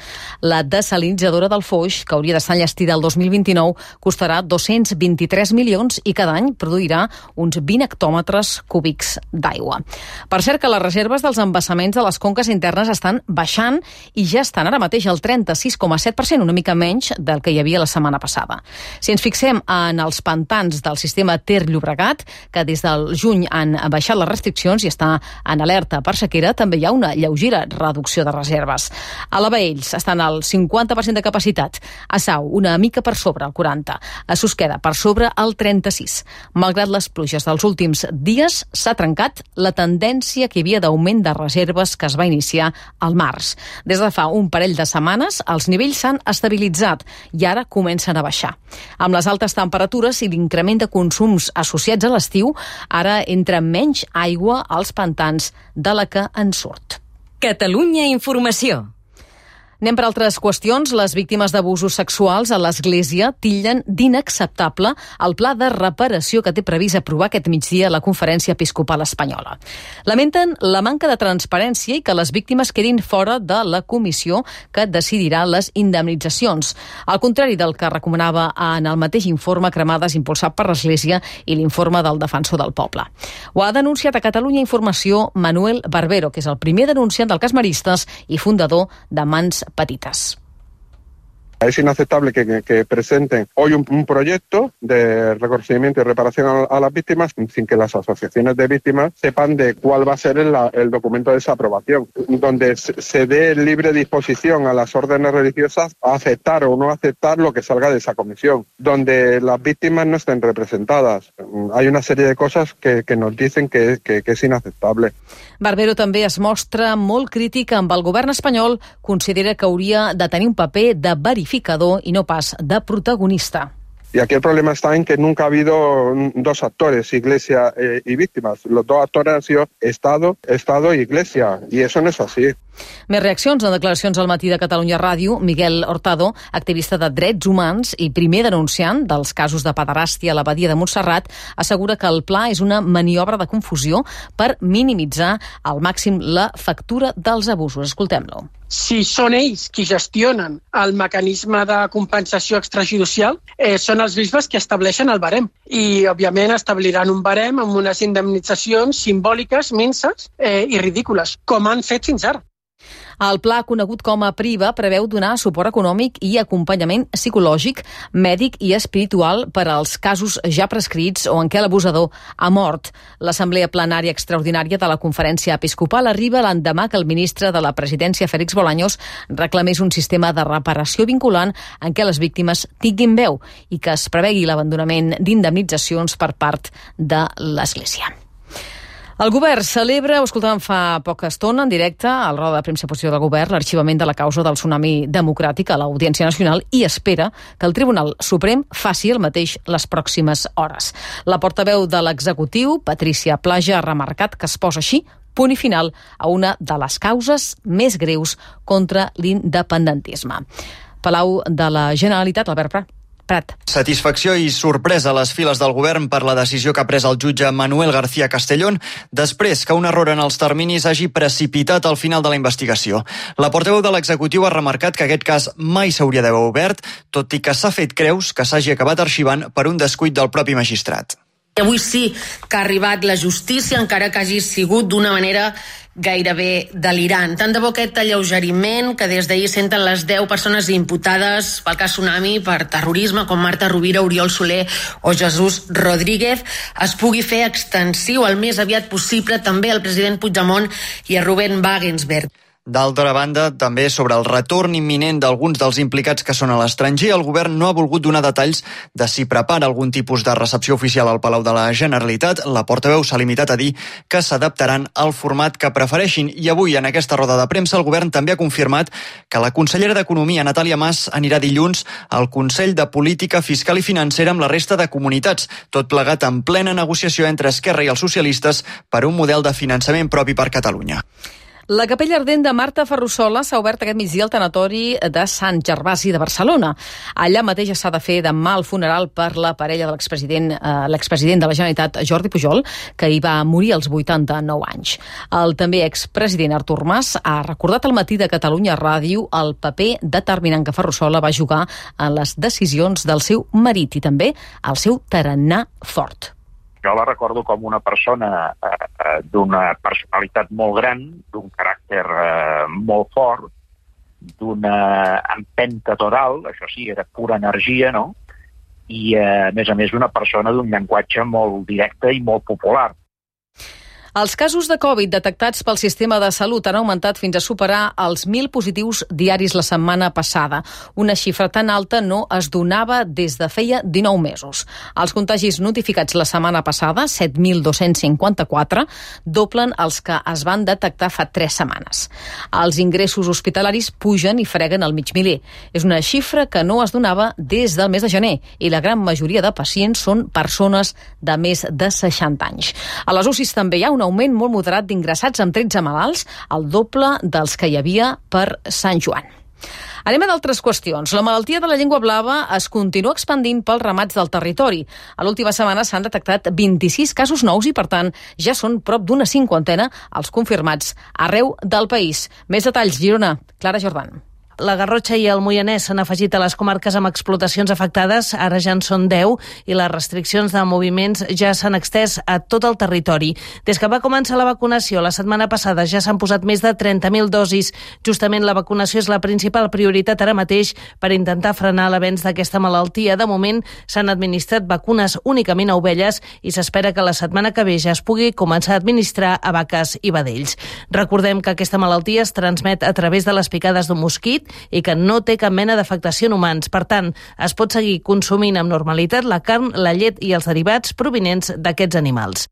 La desalinitzadora del Foix, que hauria d'estar enllestida el 2029, costarà 223 milions i cada any produirà uns 20 hectòmetres cúbics d'aigua. Per cert que les reserves dels embassaments de les conques internes estan baixant i ja estan ara mateix al 36,7%, una mica menys del que hi havia la setmana passada. Si ens fixem en els pantans del sistema Ter-Llobregat, que des del juny han baixat les restriccions i està en alerta per sequera, també hi ha una lleugera reducció de reserves. A la Baells estan al 50% de capacitat, a Sau una mica per sobre el 40%, a Susqueda per sobre el 36%. Malgrat les pluges dels últims dies, s'ha trencat la tendència que hi havia d'augment de reserves que es va iniciar al març. Des de fa un parell de setmanes, els nivells s'han estabilitzat i ara comencen a baixar. Amb les altes temperatures i l'increment de consums associats a l'estiu, ara entra menys aigua als pantans de la que en surt. Catalunya Informació. Anem per altres qüestions. Les víctimes d'abusos sexuals a l'Església titllen d'inacceptable el pla de reparació que té previst aprovar aquest migdia la Conferència Episcopal Espanyola. Lamenten la manca de transparència i que les víctimes quedin fora de la comissió que decidirà les indemnitzacions, al contrari del que recomanava en el mateix informe Cremades impulsat per l'Església i l'informe del Defensor del Poble. Ho ha denunciat a Catalunya Informació Manuel Barbero, que és el primer denunciant del cas Maristes i fundador de Mans Petitas. Es inaceptable que presenten hoy un proyecto de reconocimiento y reparación a las víctimas sin que las asociaciones de víctimas sepan de cuál va a ser el documento de esa aprobación, donde se dé libre disposición a las órdenes religiosas a aceptar o no aceptar lo que salga de esa comisión, donde las víctimas no estén representadas. Hay una serie de cosas que nos dicen que es inaceptable. Barbero també es mostra molt crític amb el govern espanyol, considera que hauria de tenir un paper de verificador i no pas de protagonista. Y aquí el problema está en que nunca ha habido dos actores, Iglesia y víctimas. Los dos actores han sido Estado y Iglesia, y eso no es así. Més reaccions en declaracions al matí de Catalunya Ràdio. Miguel Hurtado, activista de drets humans i primer denunciant dels casos de pederàstia a l'abadia de Montserrat, assegura que el pla és una maniobra de confusió per minimitzar al màxim la factura dels abusos. Escoltem-lo. Si són ells qui gestionen el mecanisme de compensació extrajudicial, són els bisbes que estableixen el barem. I, òbviament, establiran un barem amb unes indemnitzacions simbòliques, minses i ridícules, com han fet fins ara. El pla, conegut com a PRIVA, preveu donar suport econòmic i acompanyament psicològic, mèdic i espiritual per als casos ja prescrits o en què l'abusador ha mort. L'Assemblea Plenària Extraordinària de la Conferència Episcopal arriba l'endemà que el ministre de la Presidència, Félix Bolaños, reclamés un sistema de reparació vinculant en què les víctimes tinguin veu i que es prevegui l'abandonament d'indemnitzacions per part de l'Església. El govern celebra, ho escoltàvem fa poca estona en directe, al roda de premsa posició del govern, l'arxivament de la causa del tsunami democràtic a l'Audiència Nacional i espera que el Tribunal Suprem faci el mateix les pròximes hores. La portaveu de l'executiu, Patricia Plaja, ha remarcat que es posa així punt i final a una de les causes més greus contra l'independentisme. Palau de la Generalitat, Albert Prat. Satisfacció i sorpresa a les files del govern per la decisió que ha pres el jutge Manuel García Castellón després que un error en els terminis hagi precipitat el final de la investigació. La portaveu de l'executiu ha remarcat que aquest cas mai s'hauria d'haver obert, tot i que s'ha fet creus que s'hagi acabat arxivant per un descuit del propi magistrat. Avui sí que ha arribat la justícia, encara que hagi sigut d'una manera gairebé delirant. Tant de bo aquest alleugeriment que des d'ahir senten les 10 persones imputades pel cas Tsunami per terrorisme, com Marta Rovira, Oriol Soler o Jesús Rodríguez, es pugui fer extensiu el més aviat possible també al president Puigdemont i a Ruben Wagensberg. D'altra banda, també sobre el retorn imminent d'alguns dels implicats que són a l'estranger, el govern no ha volgut donar detalls de si prepara algun tipus de recepció oficial al Palau de la Generalitat. La portaveu s'ha limitat a dir que s'adaptaran al format que prefereixin. I avui, en aquesta roda de premsa, el govern també ha confirmat que la consellera d'Economia, Natàlia Mas, anirà dilluns al Consell de Política Fiscal i Financera amb la resta de comunitats, tot plegat en plena negociació entre Esquerra i els socialistes per un model de finançament propi per Catalunya. La capella ardent de Marta Ferrusola s'ha obert aquest migdia al tanatori de Sant Gervasi de Barcelona. Allà mateix s'ha de fer demà el funeral per la parella de l'expresident de la Generalitat, Jordi Pujol, que hi va morir als 89 anys. El també expresident Artur Mas ha recordat al matí de Catalunya Ràdio el paper determinant que Ferrusola va jugar en les decisions del seu marit i també el seu tarannà fort. Jo la recordo com una persona d'una personalitat molt gran, d'un caràcter molt fort, d'una empenta total, això sí, era pura energia, no? I, a més, una persona d'un llenguatge molt directe i molt popular. Els casos de Covid detectats pel sistema de salut han augmentat fins a superar els 1.000 positius diaris la setmana passada. Una xifra tan alta no es donava des de feia 19 mesos. Els contagis notificats la setmana passada, 7.254, doblen els que es van detectar fa 3 setmanes. Els ingressos hospitalaris pugen i freguen el mig miler. És una xifra que no es donava des del mes de gener i la gran majoria de pacients són persones de més de 60 anys. A les UCIs també hi ha un augment molt moderat d'ingressats amb 13 malalts, el doble dels que hi havia per Sant Joan. Anem a d'altres qüestions. La malaltia de la llengua blava es continua expandint pels ramats del territori. A l'última setmana s'han detectat 26 casos nous i, per tant, ja són prop d'una 50 els confirmats arreu del país. Més detalls, Girona. Clara Jordan. La Garrotxa i el Moianès s'han afegit a les comarques amb explotacions afectades, ara ja en són 10, i les restriccions de moviments ja s'han extès a tot el territori. Des que va començar la vacunació la setmana passada ja s'han posat més de 30.000 dosis. Justament la vacunació és la principal prioritat ara mateix per intentar frenar l'avenç d'aquesta malaltia. De moment s'han administrat vacunes únicament a ovelles i s'espera que la setmana que ve ja es pugui començar a administrar a vaques i vedells. Recordem que aquesta malaltia es transmet a través de les picades d'un mosquit i que no té cap mena d'afectació en humans. Per tant, es pot seguir consumint amb normalitat la carn, la llet i els derivats provinents d'aquests animals.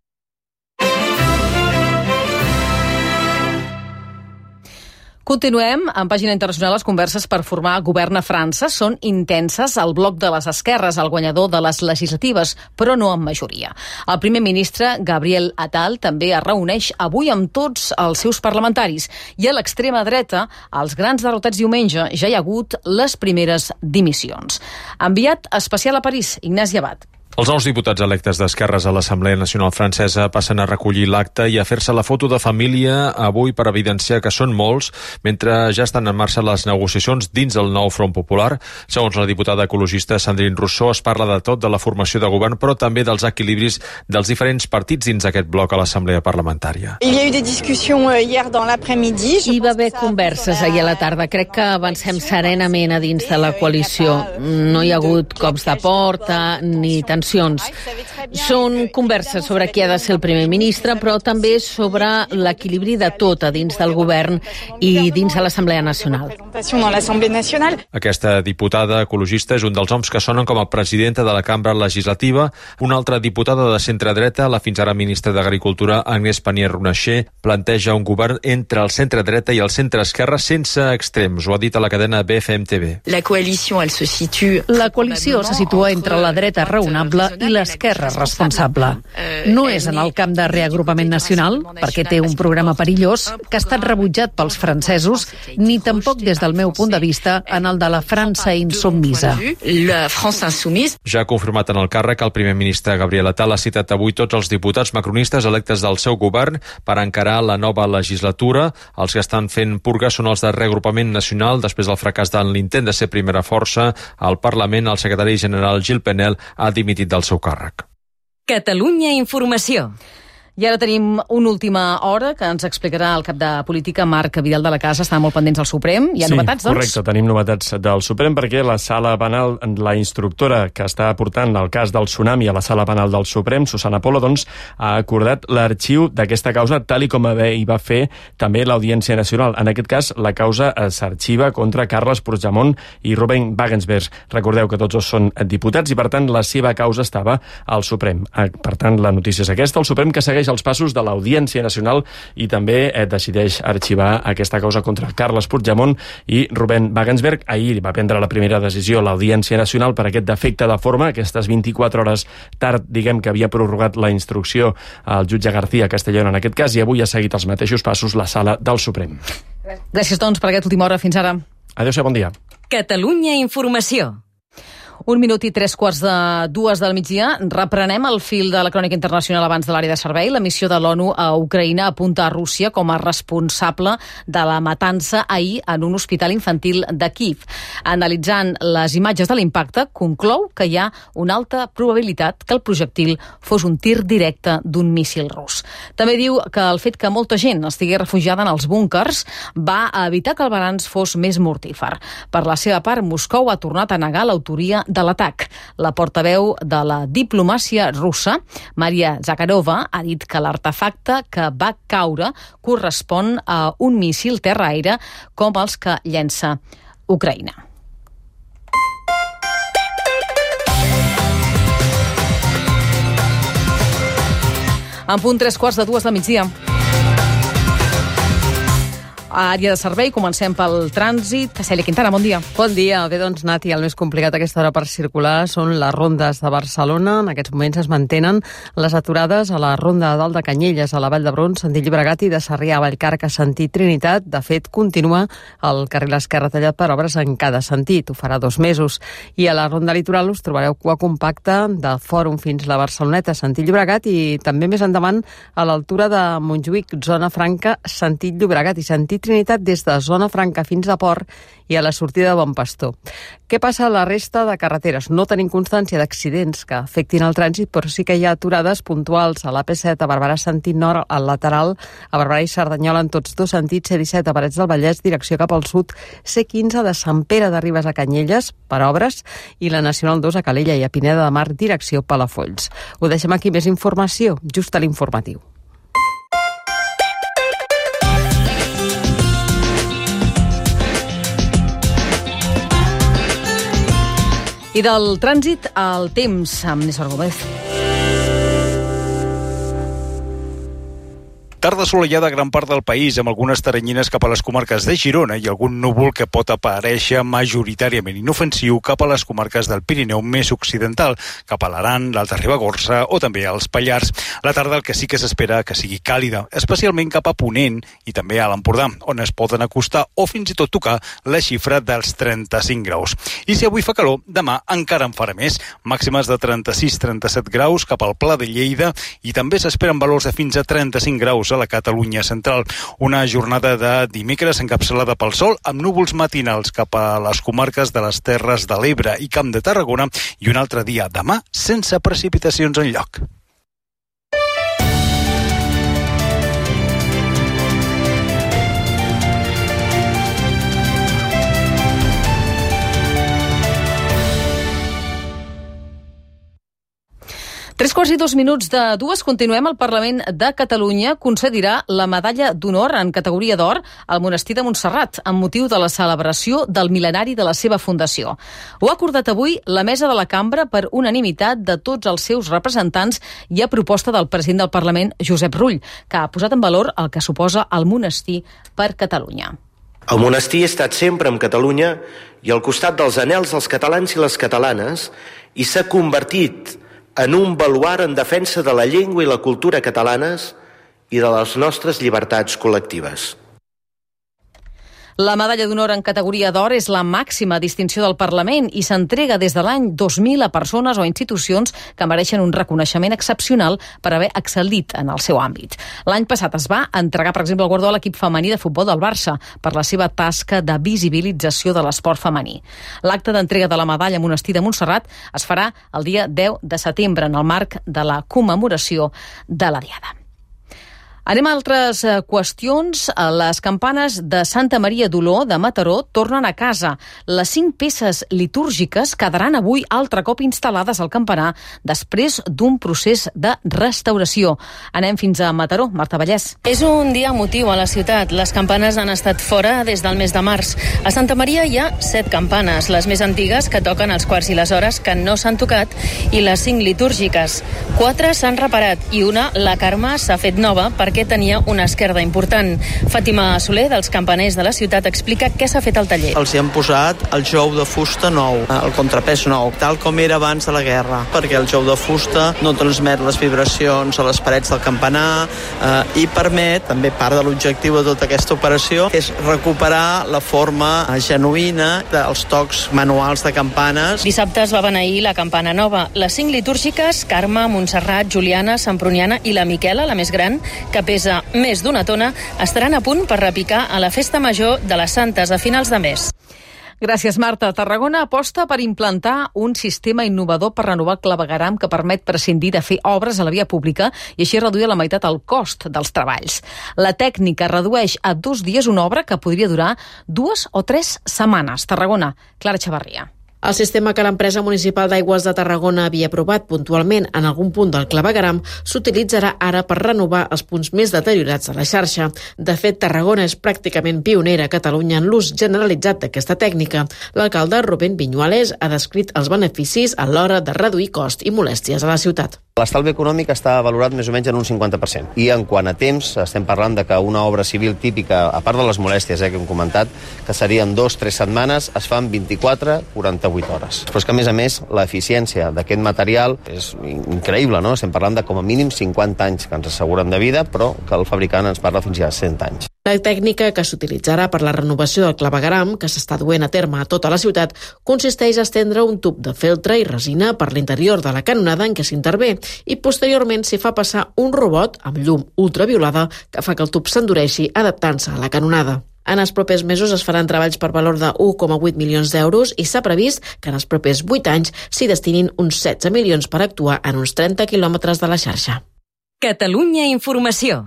Continuem en pàgina internacional. Les converses per formar govern a França són intenses al bloc de les esquerres, el guanyador de les legislatives, però no en majoria. El primer ministre, Gabriel Attal, també es reuneix avui amb tots els seus parlamentaris. I a l'extrema dreta, als grans derrotats diumenge, ja hi ha hagut les primeres dimissions. Enviat especial a París, Ignasi Abad. Els nous diputats electes d'esquerres a l'Assemblea Nacional Francesa passen a recollir l'acte i a fer-se la foto de família avui per evidenciar que són molts, mentre ja estan en marxa les negociacions dins el nou Front Popular. Segons la diputada ecologista Sandrine Rousseau, es parla de tot, de la formació de govern, però també dels equilibris dels diferents partits dins aquest bloc a l'Assemblea Parlamentària. Hi va haver converses ahir a la tarda. Crec que avancem serenament a dins de la coalició. No hi ha hagut cops de porta ni tensions. Són converses sobre qui ha de ser el primer ministre, però també sobre l'equilibri de tot a dins del govern i dins de l'Assemblea Nacional. Aquesta diputada ecologista és un dels homes que sonen com a presidenta de la cambra legislativa. Una altra diputada de centre-dreta, la fins ara ministra d'Agricultura, Agnès Pannier-Runacher, planteja un govern entre el centre-dreta i el centre-esquerra sense extrems. Ho ha dit a la cadena BFM TV. La coalició se situa entre la dreta raonable i l'esquerra responsable. No és en el camp de reagrupament nacional, perquè té un programa perillós que ha estat rebutjat pels francesos, ni tampoc des del meu punt de vista en el de la França insubmisa. Ja ha confirmat en el càrrec el primer ministre Gabriel Attal ha citat avui tots els diputats macronistes electes del seu govern per encarar la nova legislatura. Els que estan fent purga són els de reagrupament nacional. Després del fracàs de l'intent de ser primera força al Parlament, el secretari general Gilles Penel ha dimitit del seu càrrec. Catalunya Informació. I ara tenim una última hora que ens explicarà el cap de política, Marc Vidal de la Casa. Està molt pendents del Suprem. Hi ha novetats, doncs? Correcte, tenim novetats del Suprem perquè la sala penal, la instructora que està portant el cas del tsunami a la sala penal del Suprem, Susana Polo, doncs, ha acordat l'arxiu d'aquesta causa tal i com hi va fer també l'Audiència Nacional. En aquest cas, la causa s'arxiva contra Carles Puigdemont i Ruben Wagensberg. Recordeu que tots dos són diputats i, per tant, la seva causa estava al Suprem. Per tant, la notícia és aquesta. El Suprem que segueix els passos de l'Audiència Nacional i també decideix arxivar aquesta causa contra Carles Puigdemont i Ruben Wagensberg. Ahir va prendre la primera decisió l'Audiència Nacional per aquest defecte de forma, aquestes 24 hores tard, diguem que havia prorrogat la instrucció al jutge García Castellón en aquest cas, i avui ha seguit els mateixos passos la sala del Suprem. Gràcies, doncs, per aquesta última hora. Fins ara. Adéu-siau, bon dia. Catalunya Informació. 1 minut i 3:45 del migdia. Reprenem el fil de la crònica internacional abans de l'àrea de servei. La missió de l'ONU a Ucraïna apunta a Rússia com a responsable de la matança ahir en un hospital infantil de Kíev. Analitzant les imatges de l'impacte, conclou que hi ha una alta probabilitat que el projectil fos un tir directe d'un míssil rus. També diu que el fet que molta gent estigui refugiada en els búnkers va evitar que el balanç fos més mortífer. Per la seva part, Moscou ha tornat a negar l'autoria de l'atac. La portaveu de la diplomàcia russa, Maria Zakharova, ha dit que l'artefacte que va caure correspon a un míssil terra-aire com els que llença Ucraïna. En punt 3:15 del migdia. A àrea de servei, comencem pel trànsit. Cèlia Quintana, bon dia. Bon dia. Bé, doncs, Nati, el més complicat a aquesta hora per circular són les rondes de Barcelona. En aquests moments es mantenen les aturades a la ronda de Dalt de Canyelles, a la Vall d'Hebron, sentit Llobregat, i de Sarrià a Vallcarca, sentit Trinitat. De fet, continua el carril esquerre tallat per obres en cada sentit. Ho farà 2 mesos. I a la ronda litoral us trobareu cua compacta de Fòrum fins la Barceloneta, sentit Llobregat, i també més endavant a l'altura de Montjuïc, zona franca, sentit Llobregat, i sentit Trinitat des de zona franca fins a Port i a la sortida de Bon Pastor. Què passa a la resta de carreteres? No tenim constància d'accidents que afectin el trànsit, però sí que hi ha aturades puntuals a l'AP7 a Barberà sentit nord, al lateral a Barberà i Cerdanyola en tots 2 sentits, C17 a Parets del Vallès, direcció cap al sud, C15 de Sant Pere de Ribes a Canyelles per obres i la Nacional 2 a Calella i a Pineda de Mar, direcció Palafolls. Ho deixem aquí, més informació just a l'informatiu. I del trànsit al temps, amb Néstor Gómez. Tarda assolellada a gran part del país, amb algunes teranyines cap a les comarques de Girona i algun núvol que pot aparèixer majoritàriament inofensiu cap a les comarques del Pirineu més occidental, cap a l'Aran, l'Alta Ribagorça o també als Pallars. La tarda el que sí que s'espera que sigui càlida, especialment cap a Ponent i també a l'Empordà, on es poden acostar o fins i tot tocar la xifra dels 35 graus. I si avui fa calor, demà encara en farà més, màximes de 36-37 graus cap al Pla de Lleida i també s'esperen valors de fins a 35 graus a la Catalunya central. Una jornada de dimecres encapçalada pel sol amb núvols matinals cap a les comarques de les Terres de l'Ebre i Camp de Tarragona i un altre dia demà sense precipitacions enlloc. Tres quarts i 2 minuts de 2, continuem. El Parlament de Catalunya concedirà la medalla d'honor en categoria d'or al monestir de Montserrat amb motiu de la celebració del mil·lenari de la seva fundació. Ho ha acordat avui la mesa de la cambra per unanimitat de tots els seus representants i a proposta del president del Parlament, Josep Rull, que ha posat en valor el que suposa el monestir per Catalunya. El monestir ha estat sempre amb Catalunya i al costat dels anhels dels catalans i les catalanes i s'ha convertit en un baluard en defensa de la llengua i la cultura catalanes i de les nostres llibertats col·lectives. La medalla d'honor en categoria d'or és la màxima distinció del Parlament i s'entrega des de l'any 2000 a persones o institucions que mereixen un reconeixement excepcional per haver excel·lit en el seu àmbit. L'any passat es va entregar, per exemple, el guardó a l'equip femení de futbol del Barça per la seva tasca de visibilització de l'esport femení. L'acte d'entrega de la medalla a Monestir de Montserrat es farà el dia 10 de setembre en el marc de la commemoració de la Diada. Anem a altres qüestions. Les campanes de Santa Maria d'Oló de Mataró tornen a casa. Les 5 peces litúrgiques quedaran avui altre cop instal·lades al campanar després d'un procés de restauració. Anem fins a Mataró. Marta Vallès. És un dia emotiu a la ciutat. Les campanes han estat fora des del mes de març. A Santa Maria hi ha 7 campanes, les més antigues que toquen els quarts i les hores que no s'han tocat i les 5 litúrgiques. 4 s'han reparat i una, la Carme, s'ha fet nova perquè tenia una esquerda important. Fàtima Soler, dels campaners de la ciutat, explica què s'ha fet al taller. Els hi han posat el jou de fusta nou, el contrapès nou, tal com era abans de la guerra, perquè el jou de fusta no transmet les vibracions a les parets del campanar i permet, també part de l'objectiu de tota aquesta operació, és recuperar la forma genuïna dels tocs manuals de campanes. Dissabte es va beneir la campana nova. Les 5 litúrgiques, Carme, Montserrat, Juliana, Semproniana i la Miquela, la més gran, que pesa més d'1 tona, estaran a punt per repicar a la festa major de les Santes a finals de mes. Gràcies, Marta. Tarragona aposta per implantar un sistema innovador per renovar el clavegueram que permet prescindir de fer obres a la via pública i així reduir a la meitat el cost dels treballs. La tècnica redueix a 2 dies una obra que podria durar 2 o 3 setmanes. Tarragona, Clara Chavarria. El sistema que l'empresa municipal d'aigües de Tarragona havia aprovat puntualment en algun punt del clavegueram s'utilitzarà ara per renovar els punts més deteriorats de la xarxa. De fet, Tarragona és pràcticament pionera a Catalunya en l'ús generalitzat d'aquesta tècnica. L'alcalde Rubén Viñuales ha descrit els beneficis a l'hora de reduir cost i molèsties a la ciutat. L'estalvi econòmic està valorat més o menys en un 50%. I en quant a temps, estem parlant de que una obra civil típica, a part de les molèsties que hem comentat, que serien 2-3 setmanes, es fan 24-48 hores. Però és que, a més, l'eficiència d'aquest material és increïble, no? Estem parlant de com a mínim 50 anys que ens asseguren de vida, però que el fabricant ens parla fins a 100 anys. La tècnica que s'utilitzarà per la renovació del clavegueram, que s'està duent a terme a tota la ciutat, consisteix a estendre un tub de feltre i resina per l'interior de la canonada en què s'intervé i posteriorment s'hi fa passar un robot amb llum ultraviolada que fa que el tub s'endureixi adaptant-se a la canonada. En els propers mesos es faran treballs per valor de 1,8 milions d'euros i s'ha previst que en els propers 8 anys s'hi destinin uns 16 milions per actuar en uns 30 quilòmetres de la xarxa. Catalunya Informació.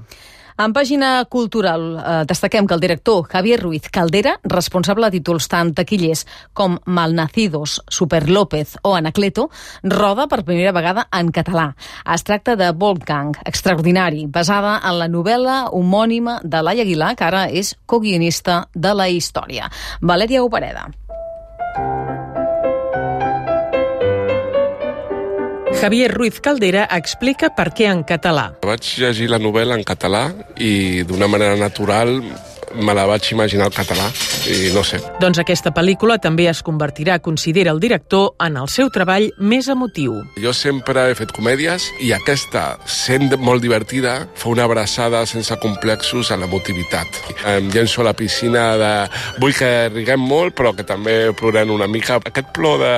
En pàgina cultural destaquem que el director Javier Ruiz Caldera, responsable de títols tant taquillers com Malnacidos, Super López o Anacleto, roda per primera vegada en català. Es tracta de Wolfgang, extraordinari, basada en la novel·la homònima de Laia Aguilar, que ara és coguionista de la història. Valèria Opereda. Javier Ruiz Caldera explica per què en català. Vaig llegir la novel·la en català i d'una manera natural me la vaig imaginar al català i no sé. Doncs aquesta pel·lícula també es convertirà, considera el director, en el seu treball més emotiu. Jo sempre he fet comèdies i aquesta, sent molt divertida, fa una abraçada sense complexos a l'emotivitat. Em llenço a la piscina de... Vull que riguem molt, però que també plorem una mica. Aquest plor de...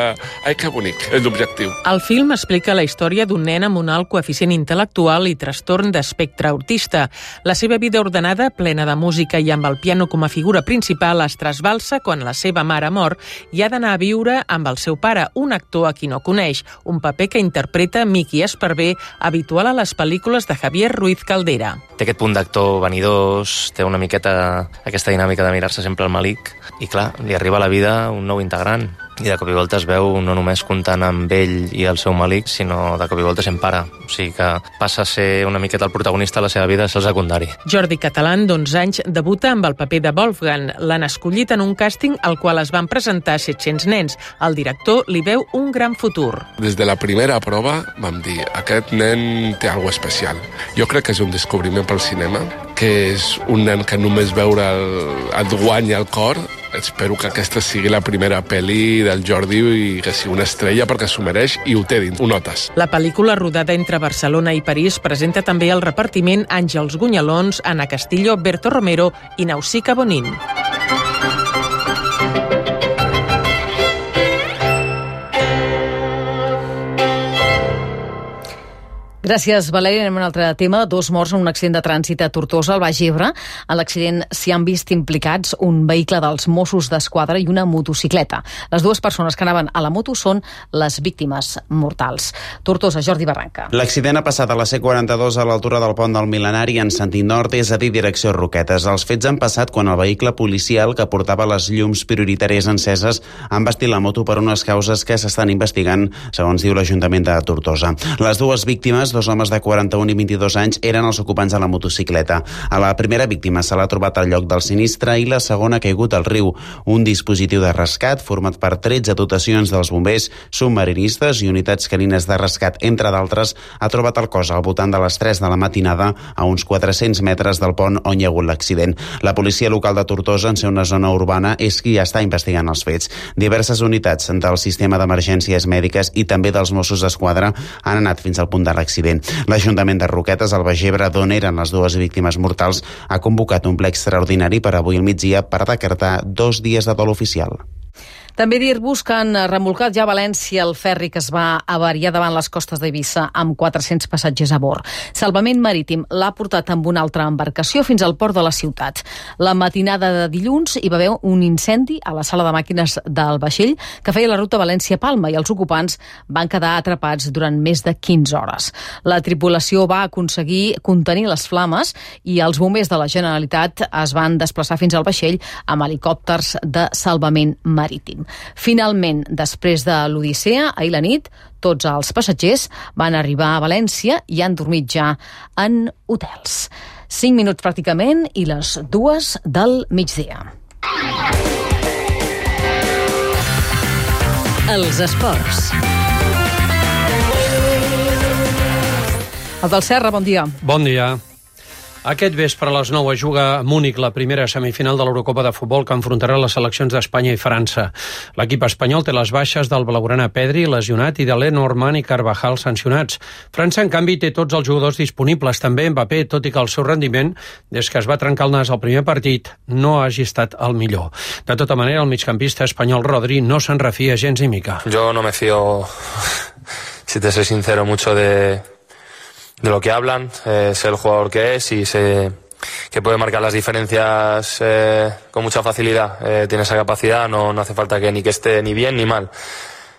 Ai, que bonic, és l'objectiu. El film explica la història d'un nen amb un alt coeficient intel·lectual i trastorn d'espectre autista. La seva vida ordenada, plena de música i amb el piano com a figura principal, es trasbalsa quan la seva mare mor i ha d'anar a viure amb el seu pare, un actor a qui no coneix, un paper que interpreta Miqui Esparvé, habitual a les pel·lícules de Javier Ruiz Caldera. Té aquest punt d'actor vanidós, té una miqueta aquesta dinàmica de mirar-se sempre al malic i clar, li arriba a la vida un nou integrant i de cop i volta es veu no només comptant amb ell i el seu malic, sinó de cop i volta sent pare. O sigui que passa a ser una miqueta el protagonista de la seva vida, és el secundari. Jordi Catalán, d'11 anys, debuta amb el paper de Wolfgang. L'han escollit en un càsting al qual es van presentar 700 nens. El director li veu un gran futur. Des de la primera prova vam dir aquest nen té alguna especial. Jo crec que és un descobriment pel cinema, que és un nen que només veure et guanya el cor. Espero que aquesta sigui la primera pel·li del Jordi i que sigui una estrella perquè s'ho mereix i ho té dins, ho notes. La pel·lícula, rodada entre Barcelona i París, presenta també el repartiment Àngels Gunyalons, Ana Castillo, Berto Romero i Nausica Bonin. Gràcies, Valeri. Anem a un altre tema. 2 morts en un accident de trànsit a Tortosa, al Baix Ebre. En l'accident s'hi han vist implicats un vehicle dels Mossos d'Esquadra i una motocicleta. Les 2 persones que anaven a la moto són les víctimes mortals. Tortosa, Jordi Barranca. L'accident ha passat a la C42 a l'altura del pont del Mil·lenari en sentit nord, és a dir, direcció Roquetes. Els fets han passat quan el vehicle policial que portava les llums prioritàries enceses ha embestit la moto per unes causes que s'estan investigant, segons diu l'Ajuntament de Tortosa. Les 2 víctimes, 2 homes de 41 i 22 anys, eren els ocupants de la motocicleta. A la primera víctima se l'ha trobat al lloc del sinistre i la segona ha caigut al riu. Un dispositiu de rescat format per 13 dotacions dels bombers, submarinistes i unitats canines de rescat, entre d'altres, ha trobat el cos al voltant de les 3 de la matinada a uns 400 metres del pont on hi ha hagut l'accident. La policia local de Tortosa, en ser una zona urbana, és qui està investigant els fets. Diverses unitats del sistema d'emergències mèdiques i també dels Mossos d'Esquadra han anat fins al punt de l'accident. L'Ajuntament de Roquetes, al Baix Ebre, d'on eren les 2 víctimes mortals, ha convocat un ple extraordinari per avui al migdia per decretar 2 dies de dol oficial. També dir-vos que han remolcat ja a València el ferri que es va avariar davant les costes d'Eivissa amb 400 passatgers a bord. Salvament Marítim l'ha portat amb una altra embarcació fins al port de la ciutat. La matinada de dilluns hi va haver un incendi a la sala de màquines del vaixell que feia la ruta València-Palma i els ocupants van quedar atrapats durant més de 15 hores. La tripulació va aconseguir contenir les flames i els bombers de la Generalitat es van desplaçar fins al vaixell amb helicòpters de salvament marítim. Finalment, després de l'Odissea, ahir la nit, tots els passatgers van arribar a València i han dormit ja en hotels. 5 minuts pràcticament i les 2 del migdia. Els esports. El del Serra, bon dia. Bon dia. Aquest vespre a les 9 es juga a Múnich la primera semifinal de l'Eurocopa de futbol que enfrontarà les seleccions d'Espanya i França. L'equip espanyol té les baixes del blaugrana Pedri, lesionat, i de Lenormand i Carvajal sancionats. França, en canvi, té tots els jugadors disponibles, també Mbappé, tot i que el seu rendiment, des que es va trencar el nas al primer partit, no hagi estat el millor. De tota manera, el migcampista espanyol Rodri no se'n refia gens ni mica. Yo no me fío, si te soy sincero, mucho de lo que hablan, sé el jugador que es y sé que puede marcar las diferencias con mucha facilidad. Tiene esa capacidad, no hace falta que esté ni bien ni mal.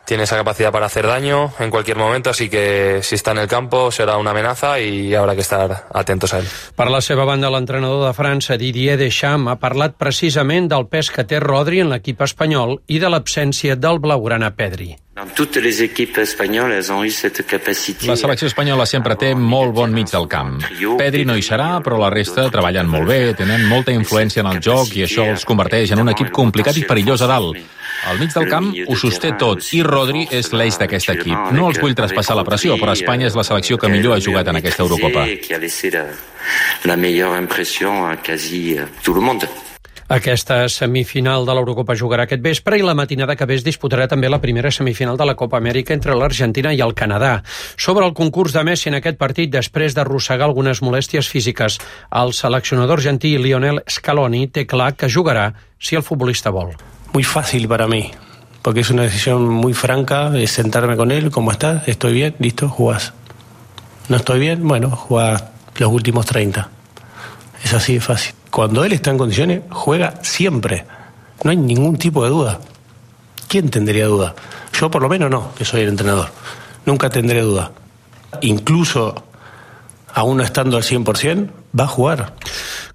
Tiene esa capacidad para hacer daño en cualquier momento, así que si está en el campo será una amenaza y habrá que estar atentos a él. Per la seva banda, l'entrenador de França, Didier Deschamps, ha parlat precisament del pes que té Rodri en l'equip espanyol i de l'absència del blaugrana Pedri. La selecció espanyola sempre té molt bon mig del camp. Pedri no hi serà, però la resta treballen molt bé, tenen molta influència en el joc i això els converteix en un equip complicat i perillós a dalt. Al mig del camp ho sosté tot i Rodri és l'eix d'aquest equip. No els vull traspassar la pressió, però Espanya és la selecció que millor ha jugat en aquesta Eurocopa. Aquesta semifinal de l'Eurocopa jugarà aquest vespre i la matinada que ve es disputarà també la primera semifinal de la Copa Amèrica entre l'Argentina i el Canadà. Sobre el concurs de Messi en aquest partit, després d'arrossegar algunes molèsties físiques, el seleccionador argentí Lionel Scaloni té clar que jugarà si el futbolista vol. Muy fácil para mí, porque es una decisión muy franca, es sentarme con él, ¿cómo estás? ¿Estoy bien? ¿Listo? Jugás. ¿No estoy bien? Bueno, jugás los últimos 30. Es así de fácil. Cuando él está en condiciones, juega siempre. No hay ningún tipo de duda. ¿Quién tendría duda? Yo por lo menos no, que soy el entrenador. Nunca tendré duda. Incluso, aún no estando al 100%, va a jugar.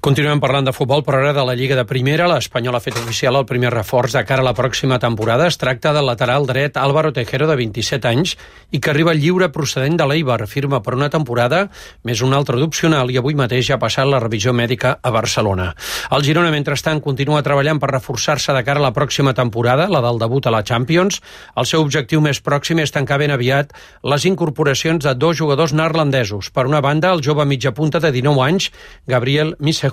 Continuem parlant de futbol, però ara de la Lliga de Primera. L'Espanyol ha fet oficial el primer reforç de cara a la pròxima temporada. Es tracta del lateral dret Álvaro Tejero, de 27 anys, i que arriba lliure procedent de l'Eibar. Firma per una temporada, més una altra d'opcional, i avui mateix ha passat la revisió mèdica a Barcelona. El Girona, mentrestant, continua treballant per reforçar-se de cara a la pròxima temporada, la del debut a la Champions. El seu objectiu més pròxim és tancar ben aviat les incorporacions de 2 jugadors neerlandesos. Per una banda, el jove mitjapunta de 19 anys, Gabriel Missehui,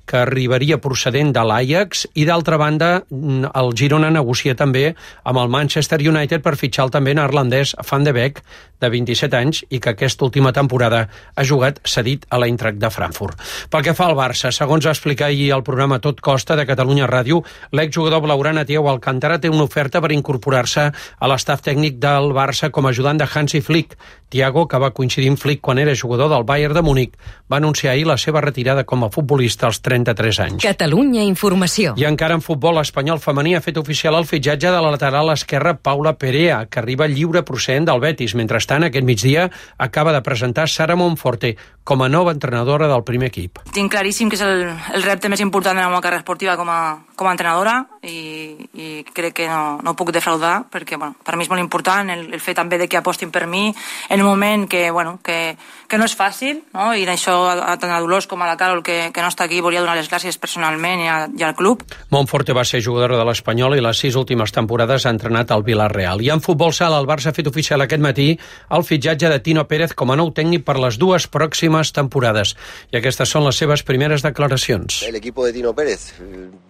que arribaria procedent de l'Ajax, i d'altra banda el Girona negocia també amb el Manchester United per fitxar el també neerlandès Van de Beek, de 27 anys, i que aquesta última temporada ha jugat cedit a l'Eintracht de Frankfurt. Pel que fa al Barça, segons va explicar ahir el programa Tot Costa de Catalunya Ràdio, l'exjugador blaugrana Thiago Alcántara té una oferta per incorporar-se a l'estaf tècnic del Barça com a ajudant de Hansi Flick. Thiago, que va coincidir amb Flick quan era jugador del Bayern de Múnich, va anunciar ahir la seva retirada com a futbolista als 33 anys. Catalunya Informació. I encara en futbol, l'Espanyol femení ha fet oficial el fitxatge de la lateral esquerra Paula Perea, que arriba lliure procedent del Betis. Mentrestant, aquest migdia acaba de presentar Sara Monforte com a nova entrenadora del primer equip. Tinc claríssim que és el repte més important de la meva carrera esportiva com a entrenadora i crec que no puc defraudar perquè per mi és molt important el fet també de que apostin per mi en un moment que no és fàcil, no? I això tant a Dolors com a la Carol que no està aquí volia donar les gràcies personalment i al club. Monforte va ser jugadora de l'Espanyol i les 6 últimes temporades ha entrenat al Villarreal. I en futbol sala, el Barça ha fet oficial aquest matí el fitxatge de Tino Pérez com a nou tècnic per les 2 pròximes temporades. I aquestes són les seves primeres declaracions. El equipo de Tino Pérez,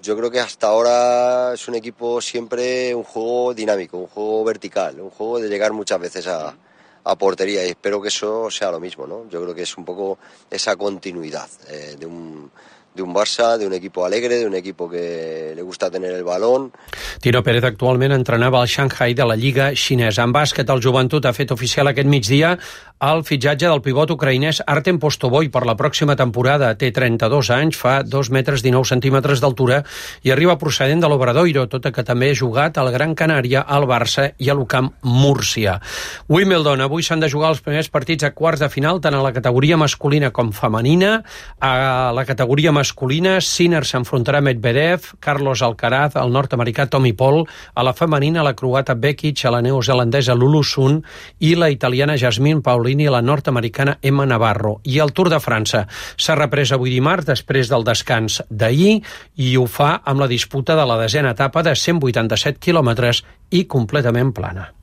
yo creo que hasta ahora es un equipo siempre un juego dinámico, un juego vertical, un juego de llegar muchas veces a portería, y espero que eso sea lo mismo, ¿no? Yo creo que es un poco esa continuidad de un Barça, de un equipo alegre, de un equipo que le gusta tener el balón. Tino Pérez actualment entrenava al Shanghai de la Lliga xinesa. En bàsquet, el Joventut ha fet oficial aquest migdia el fitxatge del pivot ucraïnès Artem Postoboi per la pròxima temporada. Té 32 anys, fa 2 metres 19 centímetres d'altura i arriba procedent de l'Obradoiro, tot i que també ha jugat al Gran Canària, al Barça i a l'UCAM Múrcia. Wimbledon, avui s'han de jugar els primers partits a quarts de final, tant a la categoria masculina com femenina. A la categoria masculina, Sinner s'enfrontarà a Medvedev, Carlos Alcaraz, el nord-americà Tommy Paul, a la femenina la croata Bekic, a la neozelandesa Lulu Sun i la italiana Jasmine Paulini i la nord-americana Emma Navarro. I el Tour de França s'ha reprès avui dimarts després del descans d'ahir i ho fa amb la disputa de la 10a etapa de 187 quilòmetres i completament plana.